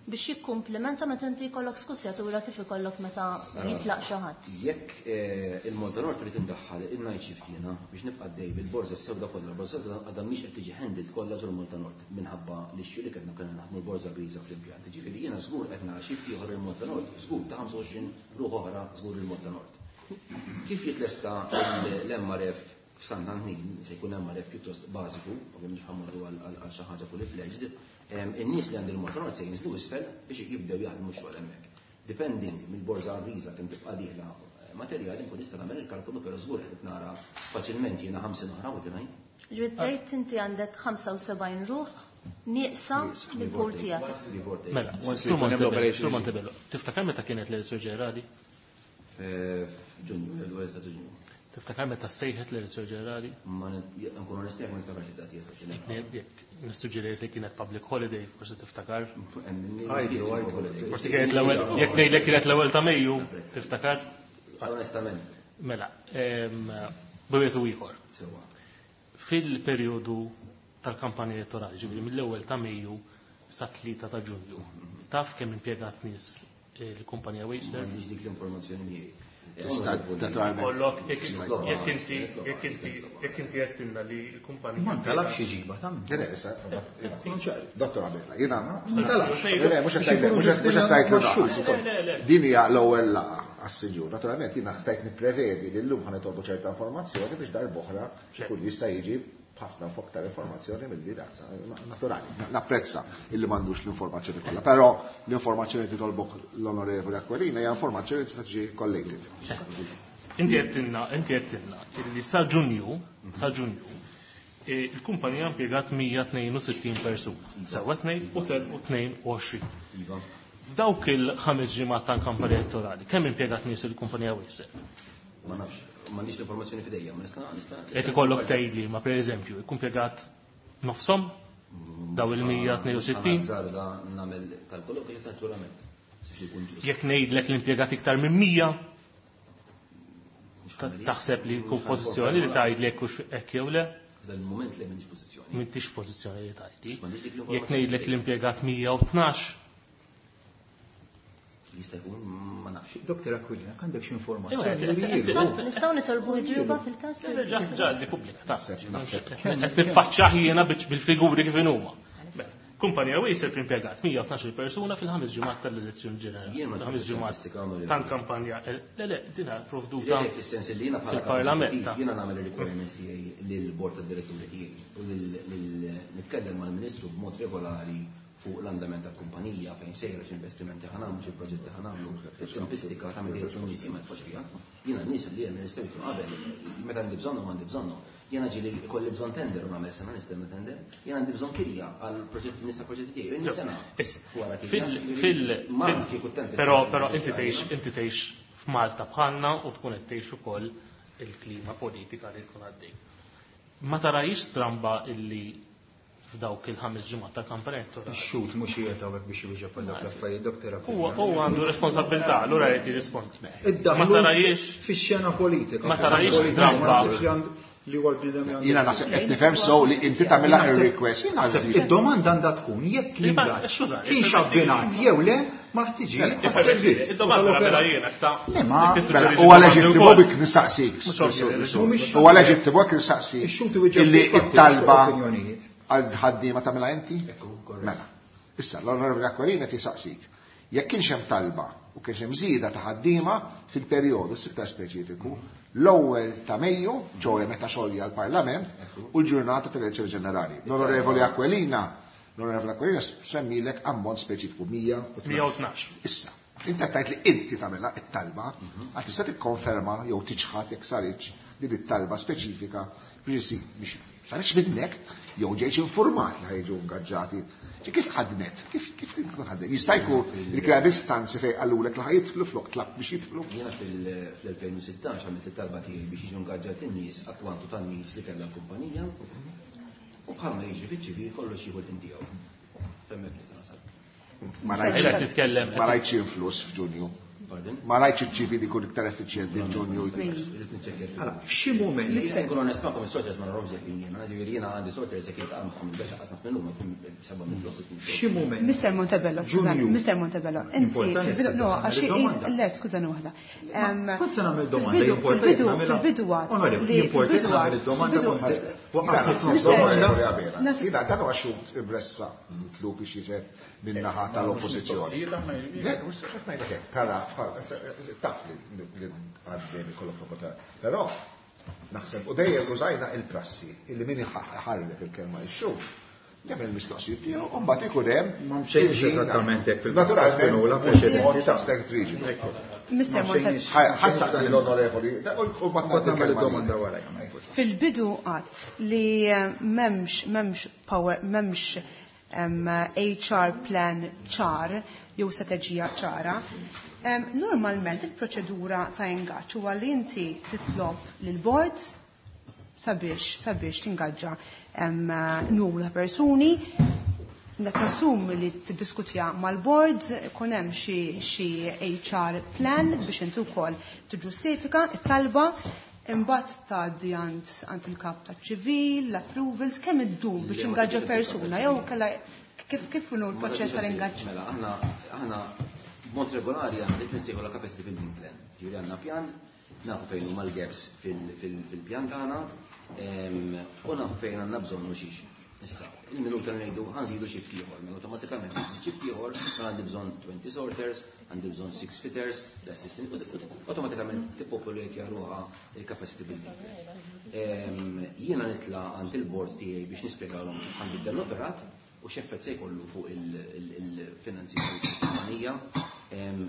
biex jikkumplimenta meta inti jkollok skussjatura kif ikollok meta jitlaq xi ħadd?
Jekk eh, il-Malta Nord trid indaħħal il-night shift jiena biex nibqa' dej bil-borża sewda kollha, l-borża għadha mhix qed tiġi handled kollha ġol Malta Nord minħabba li x li kellna kellna naħdmu l-borża griża fl-impjant. Ġifieri jiena żgur qed nara shift ieħor il-Malta Nord, żgur ta' ħamsa u għoxrin ruħ oħra żgur il-Malta Nord. Kif jitlesta l-M R F f'Sant'Antnin, se jkun M R F pjuttost bażiku, ovvjament mhux ħa mmorru għal xi ħaġa fully fledged, in-nies li għand il-Malta Nord se jinżlu isfel biex jibdew jaħdmu xogħol hemmhekk. Depending mill-borża griża kemm tibqa' dieħla materjali nkun nista' nagħmel il-kalkolu, però żgur qed nara faċilment jiena ħamsin oħra u tingħin.
Ġifieri tgħid inti għandek ħamsa u sebgħin ruħ nieqsa mill-pool tiegħek.
Mela, Sur Montebello, Sur Montebello, tiftakar meta kienet l-elezzjoni ġenerali?
Ġunju, l-ewwel ta' Ġunju.
Tiftakar meta sejħet l-elezzjoni ġenerali?
Ma nkun onest, ma niftakarx id-dati eżatt.
Jekk nissuġġerejt li kienet public holiday, forsi tiftakar.
Għajdu, għajdu.
Forsi kienet l-ewwel, jekk ngħidlek kienet l-ewwel ta' Mejju, tiftakar?
Onestament.
Mela, b'wieħed u ieħor.
Sewwa.
Fil-perjodu tal-kampanja elettorali, ġifieri mill-ewwel ta' Mejju sa tlieta ta' Ġunju, taf kemm impjegat nies il-kumpanija WasteServ?
M'għandix dik l-informazzjoni miegħi.
Tista' naturalment.
Kollok, jekk inti jekk inti jekk inti għedtilna li l-kumpanija.
Ma ntalabx iġiba ta'
Le, le, issa, Dottor Abela, jiena.
Ma ntalabx.
Le, mhux qed tgħid, mhux qed tgħid
Le, le, le.
Din hija l-ewwel laqgħa għas-sinjur. Naturalment jiena stajt nipprevedi li llum ħa nitolbu ċerta informazzjoni biex darb'oħra kull jista' jiġi Ħafna aktar informazzjoni mill-li dak, naturali. Napprezza illi m'għandux l-informazzjoni kollha, però l-informazzjoni li titolbok l-Onorevoli Aquilina hija informazzjoni li tista' tiġi collated.
Inti għedtilna, inti għedtilna illi sa Ġunju, sa Ġunju, il-kumpanija impjegat mija tnejn u sittin persuna, sewwa tnejn u tnejn u għoxrin. F'dawk il-ħames ġimgħat tal-kampanja elettorali, kemm impjegat nies il-kumpanija Wasteserv?
Ma nafx, m'għandix l-informazzjoni f'idejja, ma nista' nista'.
Jekk ikollok tgħidli, ma pereżempju, ikun impjegat nofshom daw il-mija tnejn u sittin?
Żarda nagħmel kalkolu kif ta' ġurament.
Jekk ngħidlek li impjegat iktar minn mija, taħseb li jkun pożizzjoni li tgħidlek hux hekk jew le?
F'dan il-mument li m'intix pożizzjoni.
M'intix pożizzjoni li tgħidli. Jekk ngħidlek li impjegat mija u tnax,
jista' jkun ma nafx.
Doktor Aquilina, għandek xi informazzjoni?
Nistgħu nitolbu ġuba fil-każ?
Ġa ġa li pubblika, ta' qed niffaċċjah jiena bil-figuri kif inhuma. Kumpanija Wasteserv impjegat mija u tnax-il persuna fil-ħames ġimgħat tal-elezzjoni ġenerali. Ħames ġimgħat tal-kampanja. Le, le, dinha provduta
Le, fis-sens li jiena bħala
fil-Parlament.
eżekutiv, jiena nagħmel ir-requirements tiegħi lill-bord tad-diretturi tiegħi u lil nitkellem mal-Ministru b'mod regolari fuq l-andament tal-kumpanija, fejn sejra, x'investimenti ħa nagħmlu, xi proġetti ħa nagħmlu, tempistika ta' meta jkunu nies ma tfux fiha. Jiena n-nies li jien nistgħu qabel, meta għandi bżonnhom għandi bżonnhom. Jiena ġieli ikolli bżonn tender u nagħmel sena nistenna tender, jiena għandi bżonn kirja għal proġetti nista' proġetti tiegħi, jien sena wara kirja.
Fil-, fil-,
Ma
fil-,
kieku tempistika
Però,
ta'
però
meta
inti
jkunu
tgħix, inti tgħix f'Malta bħalna u tkun qed tgħix ukoll il-klima politika li tkun għaddej. Ma tarajx stramba illi f'dawk il-ħames ġimgħat ta' kampanja elettorali.
Ix-xhud mhux qiegħed hawnhekk biex iwieġeb għal dawk l-affarijiet, Doktor Aquilina.
Huwa, huwa għandu responsabilità, allura jrid jirrispondi.
Iddaħlu
Ma tarajx
fix-xena politika.
Ma tarajx
Politika, ma
stramba.
naħsibx li għandu li huwa l-bniedem li għandu.
Jiena naħseb qed nifhem sew li inti tagħmilha ir-request
Jien naħseb
għaż-żieda.
id-domanda għandha tkun jekk
Li ma-
l-ingaġġ
skuża,
kienx
il-permetti-
abbinat jew le ma ħtiġijiet tas-servizz.
Id-domanda nagħmilha jiena, issa.
Le, ma-
Jekk tissuġġerixxi
Mela, huwa
domandi
leġittimu
wkoll.
bik nistaqsik.
Mhux ovvju,
Mhumiex-
Huwa leġittimu bik nistaqsik.
Ix-xhud iwieġeb
Illi
fuq fatti,
it-talba
fuq opinjonijiet.
għal ħaddiema tagħmilha inti?
Ekku, korrett.
Mela. Issa, l-Onorevoli Aquilina tisaqsik. Jekk kienx hemm talba u kienx hemm żieda ta' ħaddiema fil-perjodu iktar speċifiku, l-ewwel ta' Mejju, ġoja meta xolja l-Parlament, u l-ġurnata tal-elezzjoni ġenerali. L-Onorevoli Aquilina, l-Onorevoli Aquilina semmilek ammont speċifiku mija u tnax.
Mija u tnax.
Issa, inti qed tgħid li inti tagħmilha it-talba, għax tista' tikkonferma jew tiċħad jekk saritx din it-talba speċifika biex isir biex saritx minnek jew ġejx informat li ħajġu ingaġġati. Ġi kif ħadmet? Kif kif kif ħadmet? Jista' jkun li kien hemm istanzi fejn qalulek li ħajjidħlu flok tlab biex jidħlu.
Jiena fil-, fl-elfejn u sittax għamilt it-talba tiegħi biex jiġu ingaġġati n-nies għat-kwantu tan-nies li kellha l-kumpanija u bħalma jiġri fiċ-ċivil kollox jieħu l-ħin tiegħu. Semmek nista' nasal.
Ma rajtx
Qed titkellem.
ma rajtx influss f'Ġunju.
Pardon?
Ma rajtx iċ-ċivili jkun iktar effiċjenti f'Ġunju.
Irrid niċċekkja.
Allora, f'xi mument
Li nkun onest magħkom is-sorters ma narahomx jekk jiena, ġifieri jiena għandi sorters jekk jiltaqa' magħhom il-bexa qasna minnhom seba' minn flok.
F'xi mument.
Mister Montebello, skużani,
Ġunju.
Mister Montebello, inti
Importanti
fil-bidu, no,
nagħmel
għax
id-domanda.
le, skużani waħda. Em,
Kont se nagħmel domanda,
fil-bidu,
importanti
fil-bidu,
nagħmilha.
fil-bidu għad
Onorevoli,
li
importanti
fil-bidu
nagħmel
għad,
id-domanda
fil-bidu-
kont waqafni
Mister-
domanda.
Jiena dan huwa xhud imressa mitlub biex jiġed min-naħa tal-oppożizzjoni. Le, mhux qed ngħidlek hekk, tara, taf li li għaddejjem ikollok opportunità. Però naħseb u dejjem użajna il-prassi illi min iħarrek il-kelma ix-xhud jagħmel il-mistoqsijiet tiegħu u mbagħad ikun hemm
Ma mxejniex
il-ħin
eżattament hekk fil-
Naturalment,
Spinola,
mhux
preċedenti.
mod ta' stek riġidu.
Mister
Ma
Montebello.
mxejniex.
Ħadd saqsi l-onorevoli, u mbagħad
Mbagħad
nagħti
nagħmel
il-kelma
id-domanda wara. jagħmel.
Fil-bidu għad li memx, memx power, memx, em, H R plan ċar, jew strateġija ċara, em, normalment il-proċedura ta' ingaġġ huwa li inti titlob lill-board sabiex, sabiex tingaġġa, em, numru ta' persuni, Nassum li tiddiskutja mal-board, ikun hemm xi, xi H R plan biex inti wkoll tiġġustifika it-talba, imbagħad tgħaddi għand, għand il-kap taċ-ċivil, l-approvals, kemm iddum biex
Le, ma
ingaġġa
tgħaddix
persuna,
il-kap
jew
taċ-ċivil.
kellha kif, kif inhu l-proċess tal-ingaġġ?
Mela, aħna, aħna b'mod regolari għandna dik li nsejħu la capacity building plan. Ġifieri għandna pjan, nafu fejn huma l-gaps fil-, fil-, fil-pjan tagħna, em, u nafu fejn għandna bżonn u xiex. Issa, il-minuta ngħidu ħa nżidu shift ieħor, mela awtomatikament shift ieħor, mela għandi bżonn twenty sorters, għandi bżonn six fitters, l-assistant, automatikament tippopolate ruħha il-capacity building. Jiena nitla' għand il-board tiegħi biex nispjegalhom kif ħa nbiddel l-operat u x'effett se jkollu fuq il-finanzi tal-kumpanija.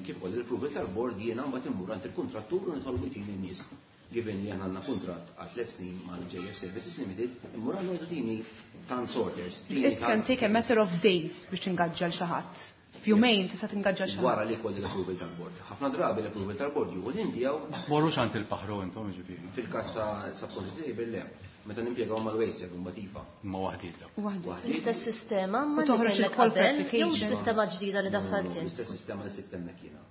Kif ukoll l-approval tal-board jiena mbagħad immur għand il-kuntrattur u nitolbu jtini n-nies. Given li għandna kuntratt għal tliet snin mal-J F Services Limited, immur għandu jgħidu tini tan sorters.
It can take a matter of days biex tingaġġa xi ħadd. F'jumejn tista' tingaġġa xi ħadd.
Wara li jkolli l-approval tal-board. Ħafna drabi l-approval tal-board jieħu l tiegħu.
Morrux għand il-paħru intom, ġifieri.
Fil-każ ta' subcontract labor le. Meta nimpjegaw mal-WasteServ mbagħad iva.
Ma waħdiet.
Waħdiet. L-istess sistema ma
U toħroġ
kellek
il-call for
qabel, jew
application.
Sistema ġdida li daħħalt int?
L-istess sistema li sibt hemmhekk jiena.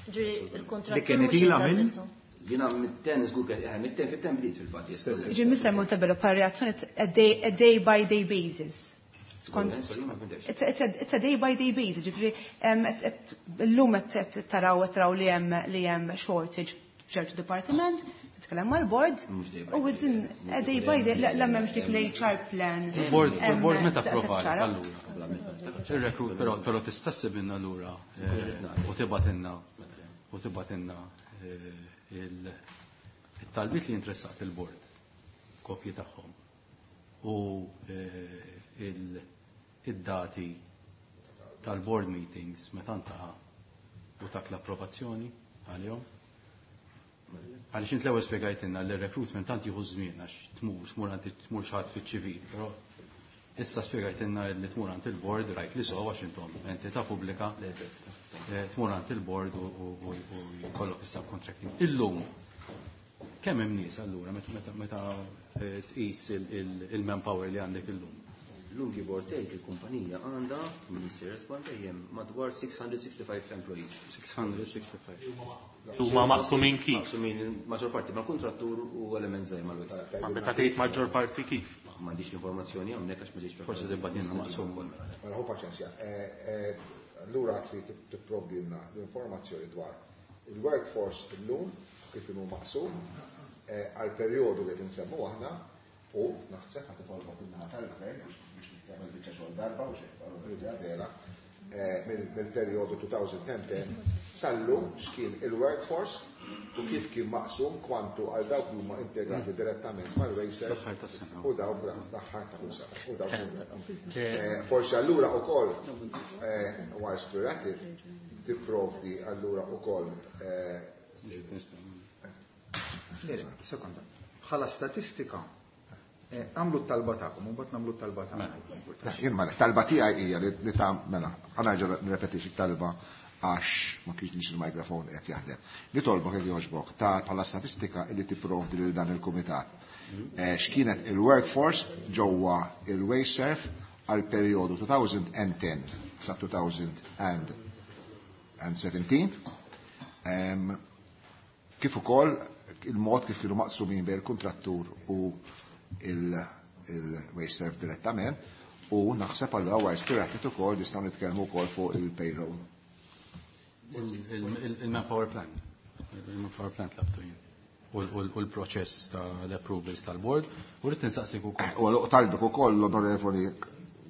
Ġifieri il-kontrattur
Li kienet
mhux
ilha minn?
jintażiltu.
Jiena mit-ten żgur kien eh, mit-ten fit-ten bdiet fil-fatt.
Ġi Mister Montebello, par reazzjoni a day, a day by day basis. Skont
Sorry, ma fhimtex.
It's a, it's a, it's a day by day basis, ġifieri em, et- et- illum qed qed taraw qed taraw li hemm li hemm shortage f'ċertu dipartiment, titkellem mal-board
Mhux day by
u within a day by day la m'hemmx dik l-H R plan.
Il-board
em,
il-board meta
daqshekk
approvali
ċara.
allura. Il-recruit, però però tista' ssibilna allura eh, u tibgħatilna u tibgħatilna eh, il- il-talbiet li interessat il-board, kopji tagħhom u eh, il- id-dati tal-board meetings meta ntaqa' u tak l-approvazzjoni għalihom. Għaliex int l-ewwel spjegajtilna li r-recruitment tant jieħu żmien għax tmur tmur għand tmur xi ħadd fiċ-ċivil, però issa spjegajtilna li tmur għand il-board, rajt li so għax intom entità pubblika, eh, tmur għand il-board u u- u u jkollok is-subcontracting. Illum kemm hemm nies allura meta meta meta eh, tqis il- il- il-manpower li għandek illum?
Illum, give or take, il-kumpanija għandha, Minister Respond dejjem, madwar six hundred sixty-five employees.
six hundred sixty-five.
Huma maqsumin kif?
Maqsumin maġġor parti mal-kontrattur u element żgħir mal-waste.
Ma meta tgħid maġġor parti, kif?
M'għandix l-informazzjoni hawnhekk għax ma ġietx.
Forsi tibgħatilna maqsum.
Mela ħu paċenzja. Eh, eh, Allura trid tipprovdilna l-informazzjoni dwar il-workforce illum kif inhu maqsum eh, għal perjodu li tinsemmu aħna u naħseb ħa titolbok in-naħa tal-gvern biex biex tagħmel biċċa xogħol darba u xejn għadela mill-perjodu elfejn u għaxra sal-lum x'kien il-workforce u kif kien maqsum kwantu għal dawk li huma impjegati direttament mal-WasteServ
L-aħħar tas-sena.
u dawk l-aħħar ta' kull sena. U dawk Eh, Forsi allura ukoll, eh, whilst we're at it, tipprovdi allura ukoll eh,
Le, sekonda. Bħala statistika, eh, għamlu t-talba tagħkom, u mbagħad nagħmlu t-talba tagħna.
Jien ma talba tiegħi hija li li ta' mela, ħa nerġa' nirrepetix it-talba għax ma kienx il-mikrofon qed jaħdem. Nitolbok jekk jogħġbok ta' bħala statistika li tipprovdi lil dan il-kumitat. Eh, X'kienet il-workforce ġewwa il-WasteServ għal perjodu elfejn u għaxra sa elfejn u sbatax. Em, Kif ukoll il-mod kif kienu maqsumin bejn il-kontrattur u il-WasteServ direttament u naħseb allura whilst we're at it ukoll nistgħu nitkellmu wkoll fuq il-payroll.
Il-manpower plan. Il-manpower plan tlabtu jien. U l-proċess tal-approvals tal-board. U rrid nsaqsik ukoll.
U talbek ukoll l-onorevoli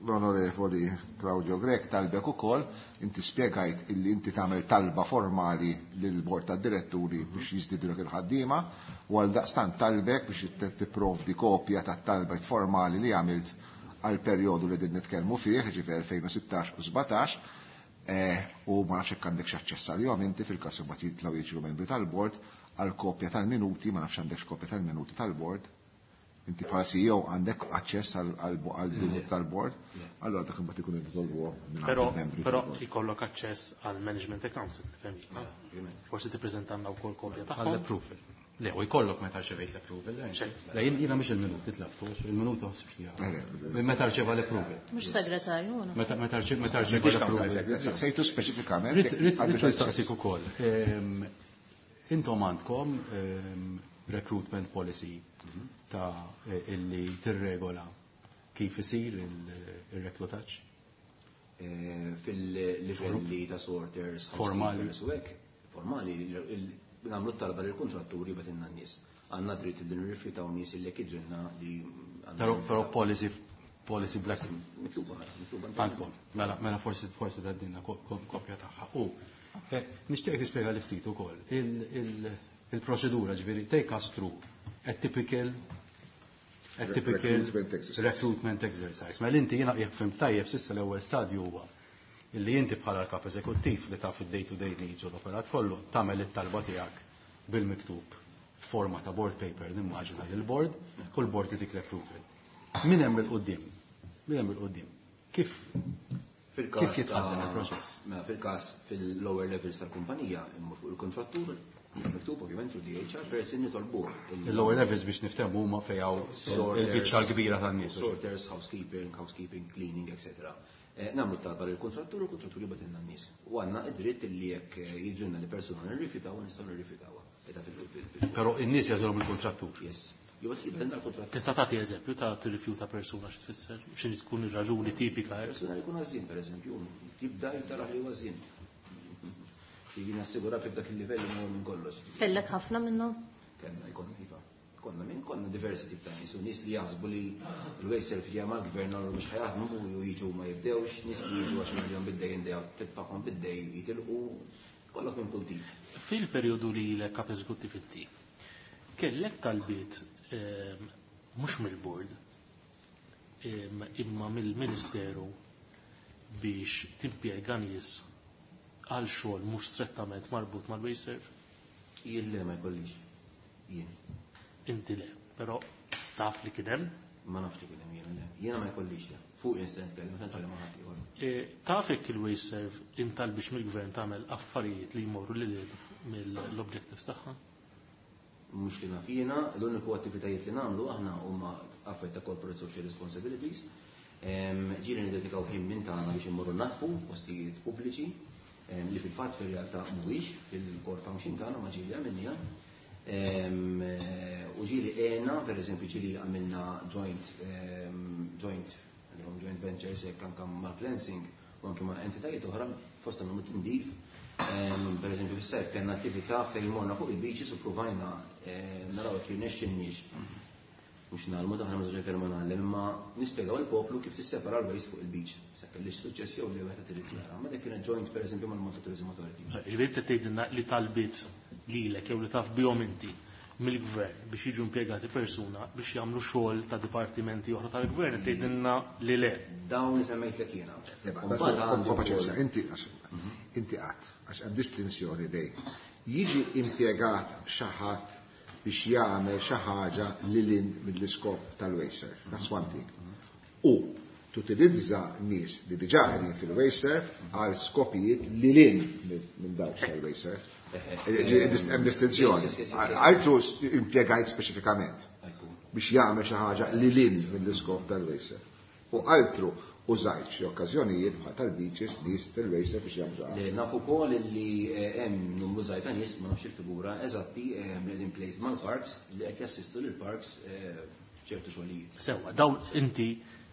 l-onorevoli Claudio Grech talbek ukoll, inti spjegajt illi inti tagħmel talba formali lill-bord tad-diretturi biex jiżdidulek il-ħaddiema u għal daqstant talbek biex tipprovdi kopja tat-talba formali li għamilt għal perjodu li din nitkellmu fih, ġifieri elfejn u sittax u sbatax, eh, u ma nafx hekk għandek aċċess għalihom inti fil-każ imbagħad jitlgħu jiġru membri tal-bord għal kopja tal-minuti, ma nafx għandekx kopja tal-minuti tal-bord. Inti bħala C E O għandek aċċess għal tal-board, allora dak imbagħad ikun jitolbu
Però
membri
però
tal-board.
ikollok aċċess għal management accounts, fehmi. Forsi tippreżentanna wkoll kopja tagħhom.
Għall-approval. Le, u jkollok meta rċevejt l-approval. Le, jien jiena mhux il-minuti tlabtu, il-minuti ħsibx li
Le, le,
Meta rċeva l-approval.
Mhux segretarju, no?
Meta meta rċeva meta rċeva l-approval.
Sejtu speċifikament.
Rrid
jekk
rrid
għandek
nistaqsik ukoll. Ehm, Intom għandkom ehm, recruitment policy ta' illi tirregola kif isir il-reklutaġġ?
Eh, Fil-livelli ta' sorters,
Formali.
housekeepers u hekk, formali, nagħmlu t-talba lill-kontratturi jibgħatilna n-nies. Għandna dritt li nirrifjutaw nies illi jekk jidhrilna li għandna
Però però policy Policy black.
Mitluba, mitluba.
Għandkom, mela, mela forsi forsi tgħaddilna kopja tagħha. U nixtieq tispjega li ftit ukoll il-proċedura, ġifieri take us through a typical a typical
Recruitment exercise.
recruitment exercise. Mela inti jiena jekk fhimt tajjeb s'issa l-ewwel stadju huwa illi inti bħala l-kap eżekuttiv li taf id-day to day needs u l-operat kollu tagħmel it-talba tiegħek bil-miktub forma ta' board paper nimmaġina lil board, kull board jtik l-approval. Min hemm il-quddiem? Min hemm il-quddiem? Kif
Fil-każ
Kif jitħaddem
ta'
il-proċess?
Mela fil-każ fil-lower levels tal-kumpanija immur fuq il-kontrattur, miktub ovvjament through the H R person nitolbuh.
Il-lower levels biex niftehmu huma fejn hawn il-biċċa l-kbira tan-nies.
Sorters, housekeeping, housekeeping, cleaning, et cetera. Eh, Nagħmlu talba lill-kontrattur u l-kontrattur jibgħatilna n-nies. U għandna id-dritt li jekk eh, jidrilna li persuna nirrifjutaw, nistgħu nirrifjutawha. Eta fil- fil- fil-
Però in-nies jagħżilhom il-kontrattur.
Yes. Jew jibgħatilna l-kontrattur.
Tista' tagħti eżempju ta' tirrifjuta persuna, xi tfisser? X'inhi tkun ir-raġuni tipika hekk?
Persuna li jkun għażin, per eżempju, tibda jibda li huwa għażin. Jien nassigura kif dak il-livell imur minn kollox.
Kellek ħafna minnhom?
Kellna jkollna iva. Konna minn konna diversi tip ta' nies, u nies li jaħsbu li l-WasteServ ġeja mal-gvern għallu mhux ħa jaħdmu u jiġu ma jibdewx, nies li jiġu għax miljon bid-day in, day out, titfagħhom bid-day jitilqu, kollok minn kull tip.
Fil-perjodu li l kap eżekuttiv inti, kellek talbiet ehm, mhux mill-board ehm, imma mill-Ministeru biex timpjega nies għal xogħol mhux strettament marbut mal-WasteServ?
Jien le, ma jkollix. Jien.
Inti le, però taf li kien hemm.
Ma nafx li kien hemm, jiena le. Jiena ma jkollix le. Fuq instant nitkellem, meta nitkellem ma' ħadd ieħor.
E, Taf jekk il-WasteServ intalbitx mill-gvern tagħmel affarijiet li jmorru lil mill-objectives tagħha?
Mhux li naf jiena, l-uniku attivitajiet li nagħmlu aħna huma affarijiet ta' corporate social responsibilities. Em, Ġieli niddedikaw ħin minn tagħna biex immorru naddfu postijiet pubbliċi em, li fil-fatt fir-realtà mhuwiex fil-core function tagħna, ma ġieli għamilniha. Em, eh, U ġieli għena, per eżempju, ġieli għamilna joint, em, joint, għalihom joint ventures hekk anke mal-cleansing u anke ma' entitajiet oħra fosthom nagħmlu tindif. Em, Per eżempju, fis-sajf kellna attività fejn morna fuq il-beaches u provajna eh, naraw jekk jirnexxinniex mhux ngħallmu, daħna ma kelma ngħallem, imma nispjegaw il-poplu kif tissepara l-waste fuq il-beach. Sa kellix suċċess jew li wieħed irid jara. Ma dik kienet joint, per eżempju, mal-Malta Tourism Authority.
Ġifieri qed tgħidilna li talbiet lilek jew li taf bihom inti mill-gvern biex jiġu impjegati persuna biex jagħmlu xogħol ta' dipartimenti oħra tal-gvern, qed tgħidilna li le.
Dawn li semmejtlek jiena.
Eba,
U mbagħad għandi
paċenzja,
wkoll-
inti għax inti qatt, għax hemm distinzjoni bejn jiġi impjegat xi ħadd biex jagħmel xi ħaġa lil hinn mill-iskop tal-WasteServ. That's one thing. U tutilizza nies li diġà qegħdin fil-WasteServ għal skopijiet lil hinn minn dawk tal-WasteServ. Hemm distinzjoni.
Yes, yes, yes, yes.
Altru impjegajt speċifikament
Ekku.
biex jagħmel xi ħaġa lil hinn mill-iskop tal-WasteServ. U altru użajt xi okkażjonijiet bħal tal-beaches nies tal-WasteServ biex jagħmlu xi ħaġa.
Li nafu wkoll li eh, hemm numru żgħir ta' nies, ma nafx il-figura eżatti, eh, li qegħdin placed mal-parks li qed jassistu lil parks eh, ċertu xogħlijiet.
Sewwa, dawn inti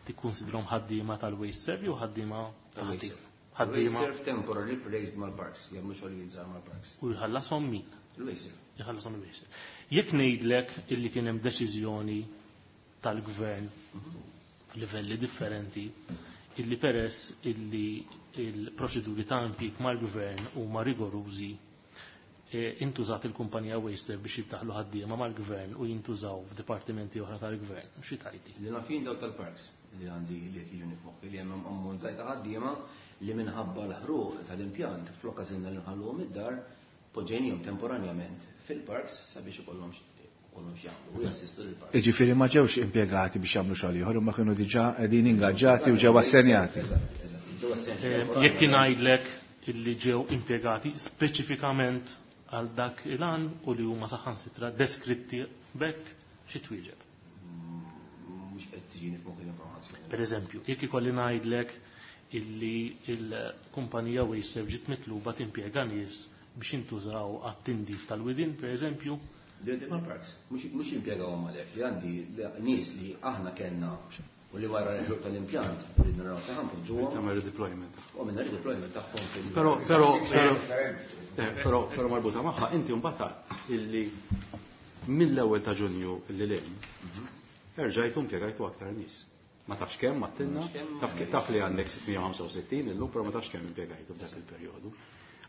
tikkonsidrhom ħaddiema tal-WasteServ jew ħaddiema
Tal-WasteServ.
ħaddiema
WasteServ temporary placed mal-parks, jagħmlu xogħlijiet żgħar mal-parks.
U jħallashom min?
Il-WasteServ.
Jħallasom il-WasteServ. Jekk ngħidlek illi kien hemm deċiżjoni tal-gvern f'livelli differenti illi peress illi il-proċeduri ta' impjieg mal-gvern huma rigorużi, e, intużat il-kumpanija WasteServ biex jiddaħlu ħaddiema mal-gvern u jintużaw f'dipartimenti oħra tal-gvern. Xi tgħidli?
Li naf jien daw tal-parks li għandi li qed jiġuni f'moħħi li hemm ammont żgħir ta' ħaddiema li minħabba l-ħruq tal-impjant flok għażilna li nħalluhom id-dar, poġġejnihom temporanjament fil-parks sabiex ikollhom ikollhom x'jagħmlu u jassistu lill-parks.
Iġifieri ma ġewx impjegati biex jagħmlu xogħol ieħor, imma kienu diġà qegħdin ingaġġati u ġew assenjati.
Eżatt, eżatt. Ġew assenjati
Eh,
temporanjament.
Jekk ngħidlek illi ġew impjegati speċifikament għal dak il-għan u li huma saħansitra deskritti b'hekk, xi twieġeb?
Mhux qed tiġini f'moħħi l-informazzjoni.
Per eżempju, jekk ikolli ngħidlek illi il-kumpanija WasteServ ġiet mitluba timpjega nies biex jintużaw għat-tindif tal-widien, per eżempju,
Li għandi mal-parks, mhux jimpjegawhom għalhekk, li għandi nies li aħna kellna u li wara l-ħruq tal-impjant li naraw ta' ħanpoġġuhom
Tagħmel redeployment.
u minna redeployment tagħhom fil-
Però, però, però, eh, però, però marbuta magħha, inti mbagħad illi mill-ewwel ta' Ġunju illi lejn, erġajtu impjegajtu aktar nies. Ma tafx kemm għattilna, taf li għandek sitt mija u ħamsa u sittin illum, però ma tafx kemm impjegajtu f'dak il-perjodu.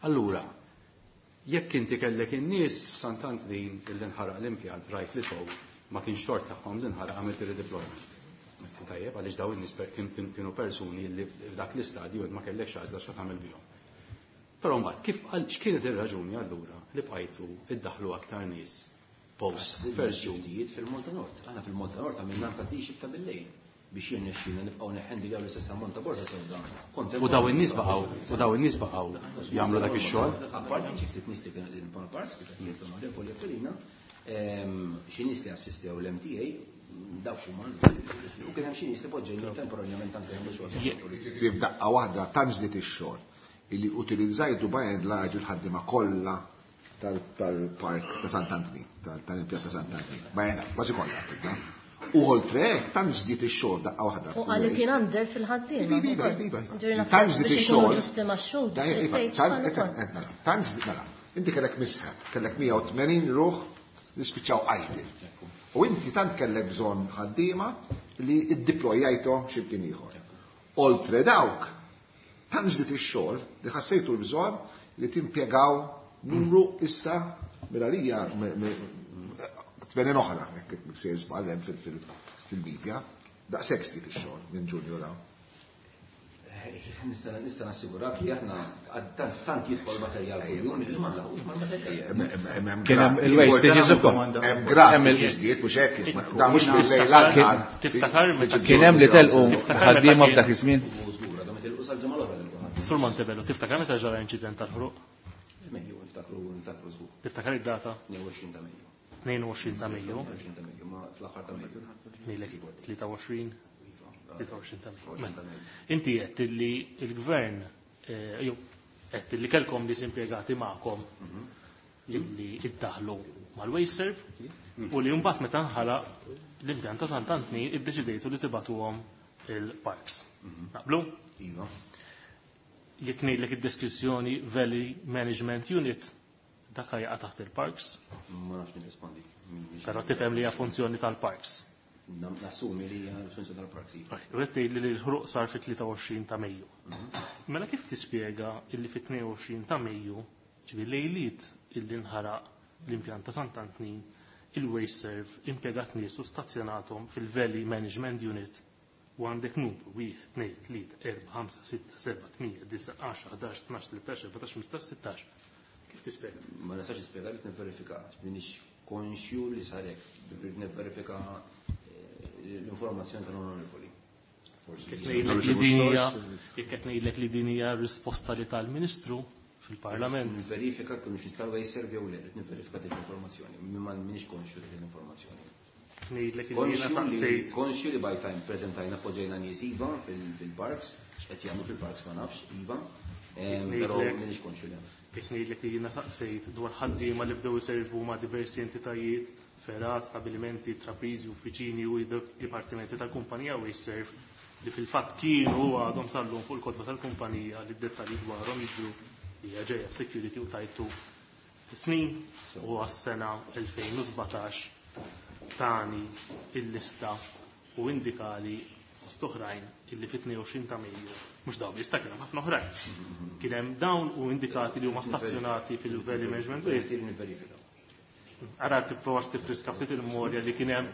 Allura, jekk inti kellek in-nies f'Sant'Antnin illi nħaraq l-impjant rajt li tow ma kienx tort tagħhom li nħaraq għamilt il-redeployment. Tajjeb, għaliex daw in-nies kienu persuni li f'dak l-istadju ma kellekx għażla x'ħa tagħmel bihom. Però mbagħad kif x'kienet ir-raġuni allura li bqajtu iddaħlu aktar nies post first June?
Fil-Malta Nord. Aħna fil-Malta Nord għamilna anke D shift ta' bil-lejl biex jirnexxina nibqgħu neħħendiljaw l-istess ammont ta' borza sewda.
U daw in-nies baqgħu, u daw in-nies baqgħu jagħmlu dak ix-xogħol.
Apparti xi ftit nies li kienu qegħdin mal-parks kif qed jgħid l-Onorevoli Aquilina, xi nies li assistew l-M T A dawk huma u kien hemm xi nies li poġġejna temporanjament anke jagħmlu xogħol.
Ġifieri f'daqqa waħda tant żdied ix-xogħol illi utilizzajtu by and large il-ħaddiema kollha tal-park ta' Sant'Antnin, tal-impjant ta' Sant'Antnin. By and large, kważi kollha, tibda. U oltre hekk, tant żdied ix-xogħol daqqa waħda.
U qal li kien under fil-ħaddiema.
Iva, iva, iva.
Ġifieri naħseb
Tant żdied
biex inkunu
ix-xogħol.
ġusti max-xhud,
Daj, iva,
tgħid
tant,
bħal
et,
ukoll.
et, mela, tant żdied, mela, inti kellek misħab, kellek mija u tmenin ruħ li spiċċaw idle. U inti tant kellek bżonn ħaddiema li iddiplojajthom xi mkien ieħor. Oltre dawk, tant żdied ix-xogħol li ħassejtu l-bżonn li timpjegaw numru issa mela tmenin oħra, jekk se żball hemm fil-media, daqshekk żdied ix-xogħol minn Ġunju law.
Nista' nista' nassigurak li aħna tant jidħol materjal kuljum li ma nlaħqux mal-materjal.
Kien hemm il-wastages ukoll.
Hemm graf li żdied mhux hekk, dan mhux bil-lejl għal
Tiftakar meta
Kien hemm li telqu ħaddiema f'dak iż-żmien.
Sur Montebello, tiftakar meta ġara inċident tal-ħruq?
Mejju, niftakru, niftakru żgur.
Tiftakar id-data?
tnejn u għoxrin ta' Mejju.
tnejn u għoxrin ta' Mejju.
tnejn u għoxrin ta' Mejju, ma fl-aħħar ta' Mejju.
Ngħidlek tlieta u għoxrin. tlieta u għoxrin ta' Mejju. Inti qed li l-gvern, eh, jew qed li kellkom nies impjegati magħkom illi iddaħlu mal-WasteServ u li mbagħad meta nħalaq l-impjant ta' Sant'Antnin iddeċidejtu li tibatuhom il-parks. Naqblu?
Iva.
Jekk ngħidlek id-deskrizzjoni Valley Management Unit, dak jaqa' taħt il-parks?
Ma nafx nirrispondi.
Però tifhem li hija funzjoni tal-parks.
Nassumi li hija funzjoni tal-parks, iva.
U qed tgħid li l-ħruq sar fit-tlieta u għoxrin ta' Mejju. Mela kif tispjega illi fit-tnejn u għoxrin ta' Mejju, ġifieri lejliet illi nħaraq l-impjant ta' Sant'Antnin, il-WasteServ impjegat nies u stazzjonathom fil-Valley Management Unit u għandek numru wieħed, tnejn, tlieta, erba', ħamsa, sitta, seba', tmija, disa', għaxra, ħdax, tnax, tlettax, erbatax, ħmistax, sittax. Kif tispjega?
Ma nistax nispjega li nivverifika, m'iniex konxju li sar hekk, rrid nivverifika l-informazzjoni tal-onorevoli.
Jekk ngħidlek li din hija, jekk qed ngħidlek li din hija risposta li tal-Ministru fil-Parlament.
Nivverifika kif nistgħu jservi jew le, rrid nivverifika dik l-informazzjoni, ma m'iniex konxju dik l-informazzjoni.
Ngħidlek li jiena
Konxju li
saqsejt.
konxju li by time preżentajna poġġejna nies iva fil-parks, x'qed jagħmlu fil-parks ma nafx iva, ehm, però
Ngħidlek
m'iniex konxju li.
Jekk ngħidlek li jiena saqsejt dwar ħaddiema li bdew iservu ma' diversi entitajiet, fergħat, stabilimenti, trapriżi, uffiċini u dipartimenti tal-kumpanija WasteServ li fil-fatt kienu għadhom sallum fuq il-kotba tal-kumpanija li d-dettalji dwarhom jidhru li hija ġejja security u tajtu snin u għas-sena elfejn u sbatax tani il-lista u indikali fost oħrajn illi fit-tnejn u għoxrin ta' Mejju, mhux dawn biss, ta' kien hemm ħafna oħrajn. Kien hemm dawn u indikati li huma stazzjonati fil-Valley Management Unit. Ara tipprovax tifriska ftit il-memorja li kien hemm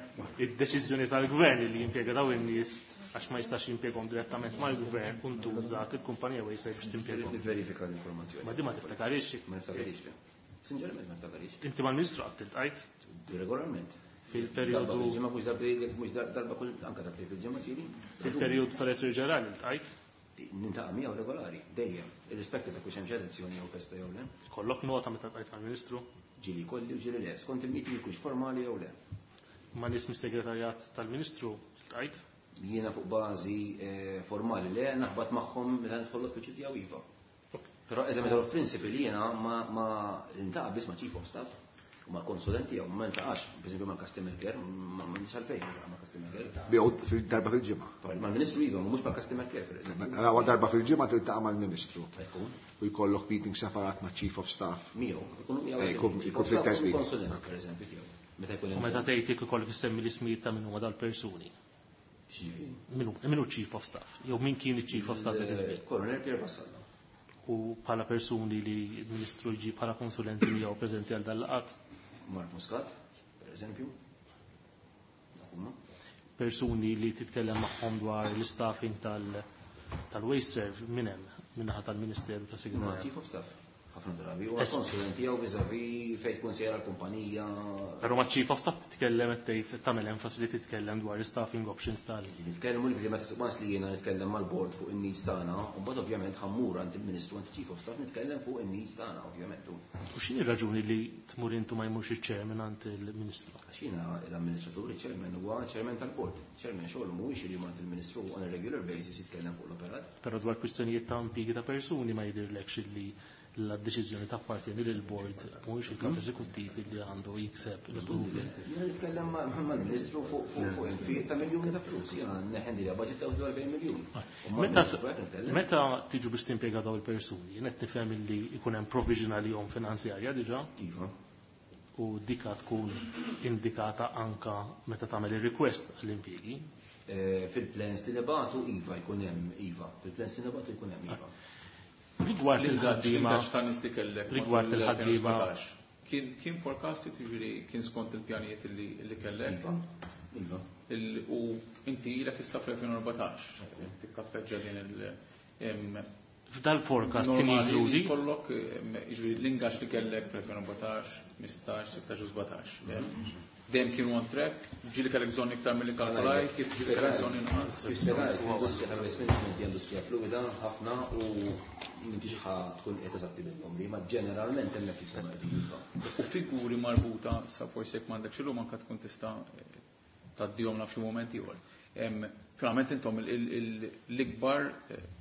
id-deċiżjoni tal-gvern li jimpjega dawn in-nies għax ma jistax jimpjegahom direttament mal-gvern u ntużat il-kumpanija WasteServ biex timpjegahom.
Nivverifika l-informazzjoni.
Ma di ma tiftakarix.
Ma niftakarix, le. Sinċerament ma niftakarix.
Inti mal-Ministru qatt iltqajt?
Regolarment.
Fil-perjodu
Darba fil-ġimgħa, mhux darba, mhux darba kull, anke darba fil-ġimgħa ġieli.
Fil-perjodu tal-Elettori Ġenerali iltqajt?
Nintaqa' miegħu regolari, dejjem, irrispettiv ta' kux hemm xi elezzjoni jew festa jew le.
Kollok nota meta ltqajt mal-Ministru?
Ġieli kolli u ġieli le, skont il-meeting jkunx formali jew le.
Ma' nies mis-segretarjat tal-Ministru iltqajt?
Jiena fuq bażi, eh, formali le, naħbat magħhom meta nidħol l-uffiċċju tiegħu iva. Però as a matter of principle jiena ma, ma niltaqa' biss ma' chief of staff u ma' konsulenti jew ma niltaqax, per esempio mal-customer care, ma m'għandix għalfejn niltaqa' ma' customer care.
Biegħu fil-darba fil-ġimgħa.
Mal-Ministru iva, mhux mal-customer care, per esempio.
Mela huwa darba fil-ġimgħa tiltaqa' mal-Ministru.
Jkun.
U jkollok meeting separat ma' chief of staff.
Miegħu, ikunu miegħu.
Eh, jkun,
Chief
jkun
of staff
fl-istess
u
meeting.
konsulent, per esempio, tiegħu. Meta jkun
U
hemm
meta
bżonn.
tgħid jekk ikollok issemmi l-ismijiet ta' min huma dal-persuni. Min hu Chief of Staff? Jew min kien il-Chief of Staff dak iż-żmien?
Colonel Pier Vassallo.
U bħala persuni li l-Ministru jġib bħala konsulenti miegħu preżenti għal dal-laqgħat?
Mark Muscat, per eżempju.
Persuni li titkellem magħhom dwar l-staffing tal-WasteServ minn hemm min-naħa tal-Ministeru ta' Segretarja.
Chief of Staff. Ħafna drabi huwa konsulenti jew vis-à-vis fejn tkun sejra l-kumpanija.
Però ma' Chief of Staff titkellem qed tgħid tagħmel enfasi li titkellem dwar staffing options tal.
Nitkellmu li meta once li jiena nitkellem mal-board fuq in-needs tagħna, u mbagħad ovvjament ħammur għand il-Ministru għand Chief of Staff nitkellem fuq in-needs tagħna ovvjament.
U x'inhi r-raġuni li tmur intu ma jmurx iċ-chairman għand il-Ministru?
Għax jiena l-amministratur, il-chairman huwa chairman tal-board. Chairman xogħol mhuwiex li għand il-Ministru on a regular basis jitkellem fuq l-operat.
Però dwar kwistjonijiet ta' impjiegi ta' persuni ma jidhirlekx li la deċiżjoni tappartieni lil board mhuwiex il-kap eżekuttiv li għandu jikseb l-approval.
Jiena nitkellem mal-Ministru fuq fuq infiq ta' miljuni ta' flus, jiena neħendi li budget ta' erbgħin miljun.
Meta tiġu biex timpjega dawn il-persuni, jien qed nifhem li jkun hemm provision għalihom finanzjarja diġà.
Iva.
U dika tkun indikata anka meta tagħmel ir-request għall-impjiegi.
Fil-plans li nibatu iva jkun hemm iva, fil-plans li nibatu jkun hemm iva.
Rigward il-ħaddiema rigward il-ħaddiema
kien kien forecasted, jiġifieri kien skont il-pjanijiet li kellek.
Iva.
U inti ilek issa fl-elfejn u erbatax tikkappeġġa din il
F'dal forecast kien jinkludi
kollok, jiġifieri l-ingaġġ li kellek fl-elfejn u erbatax, ħmistax, sittax u sbatax. Dejjem kienu on track, ġieli kellek bżonn iktar milli kalkulajt, kif ġieli kellek bżonn inqas.
L-industrija tal-waste management hija industrija fluida ħafna u m'intix ħa tkun qed eżatti bil-numri, ma ġeneralment hemmhekk ikun qegħdin.
U figuri marbuta sa forsi jekk m'għandekx illum anke tkun tista' tgħaddihom naf xi mument ieħor. Finalment intom l-ikbar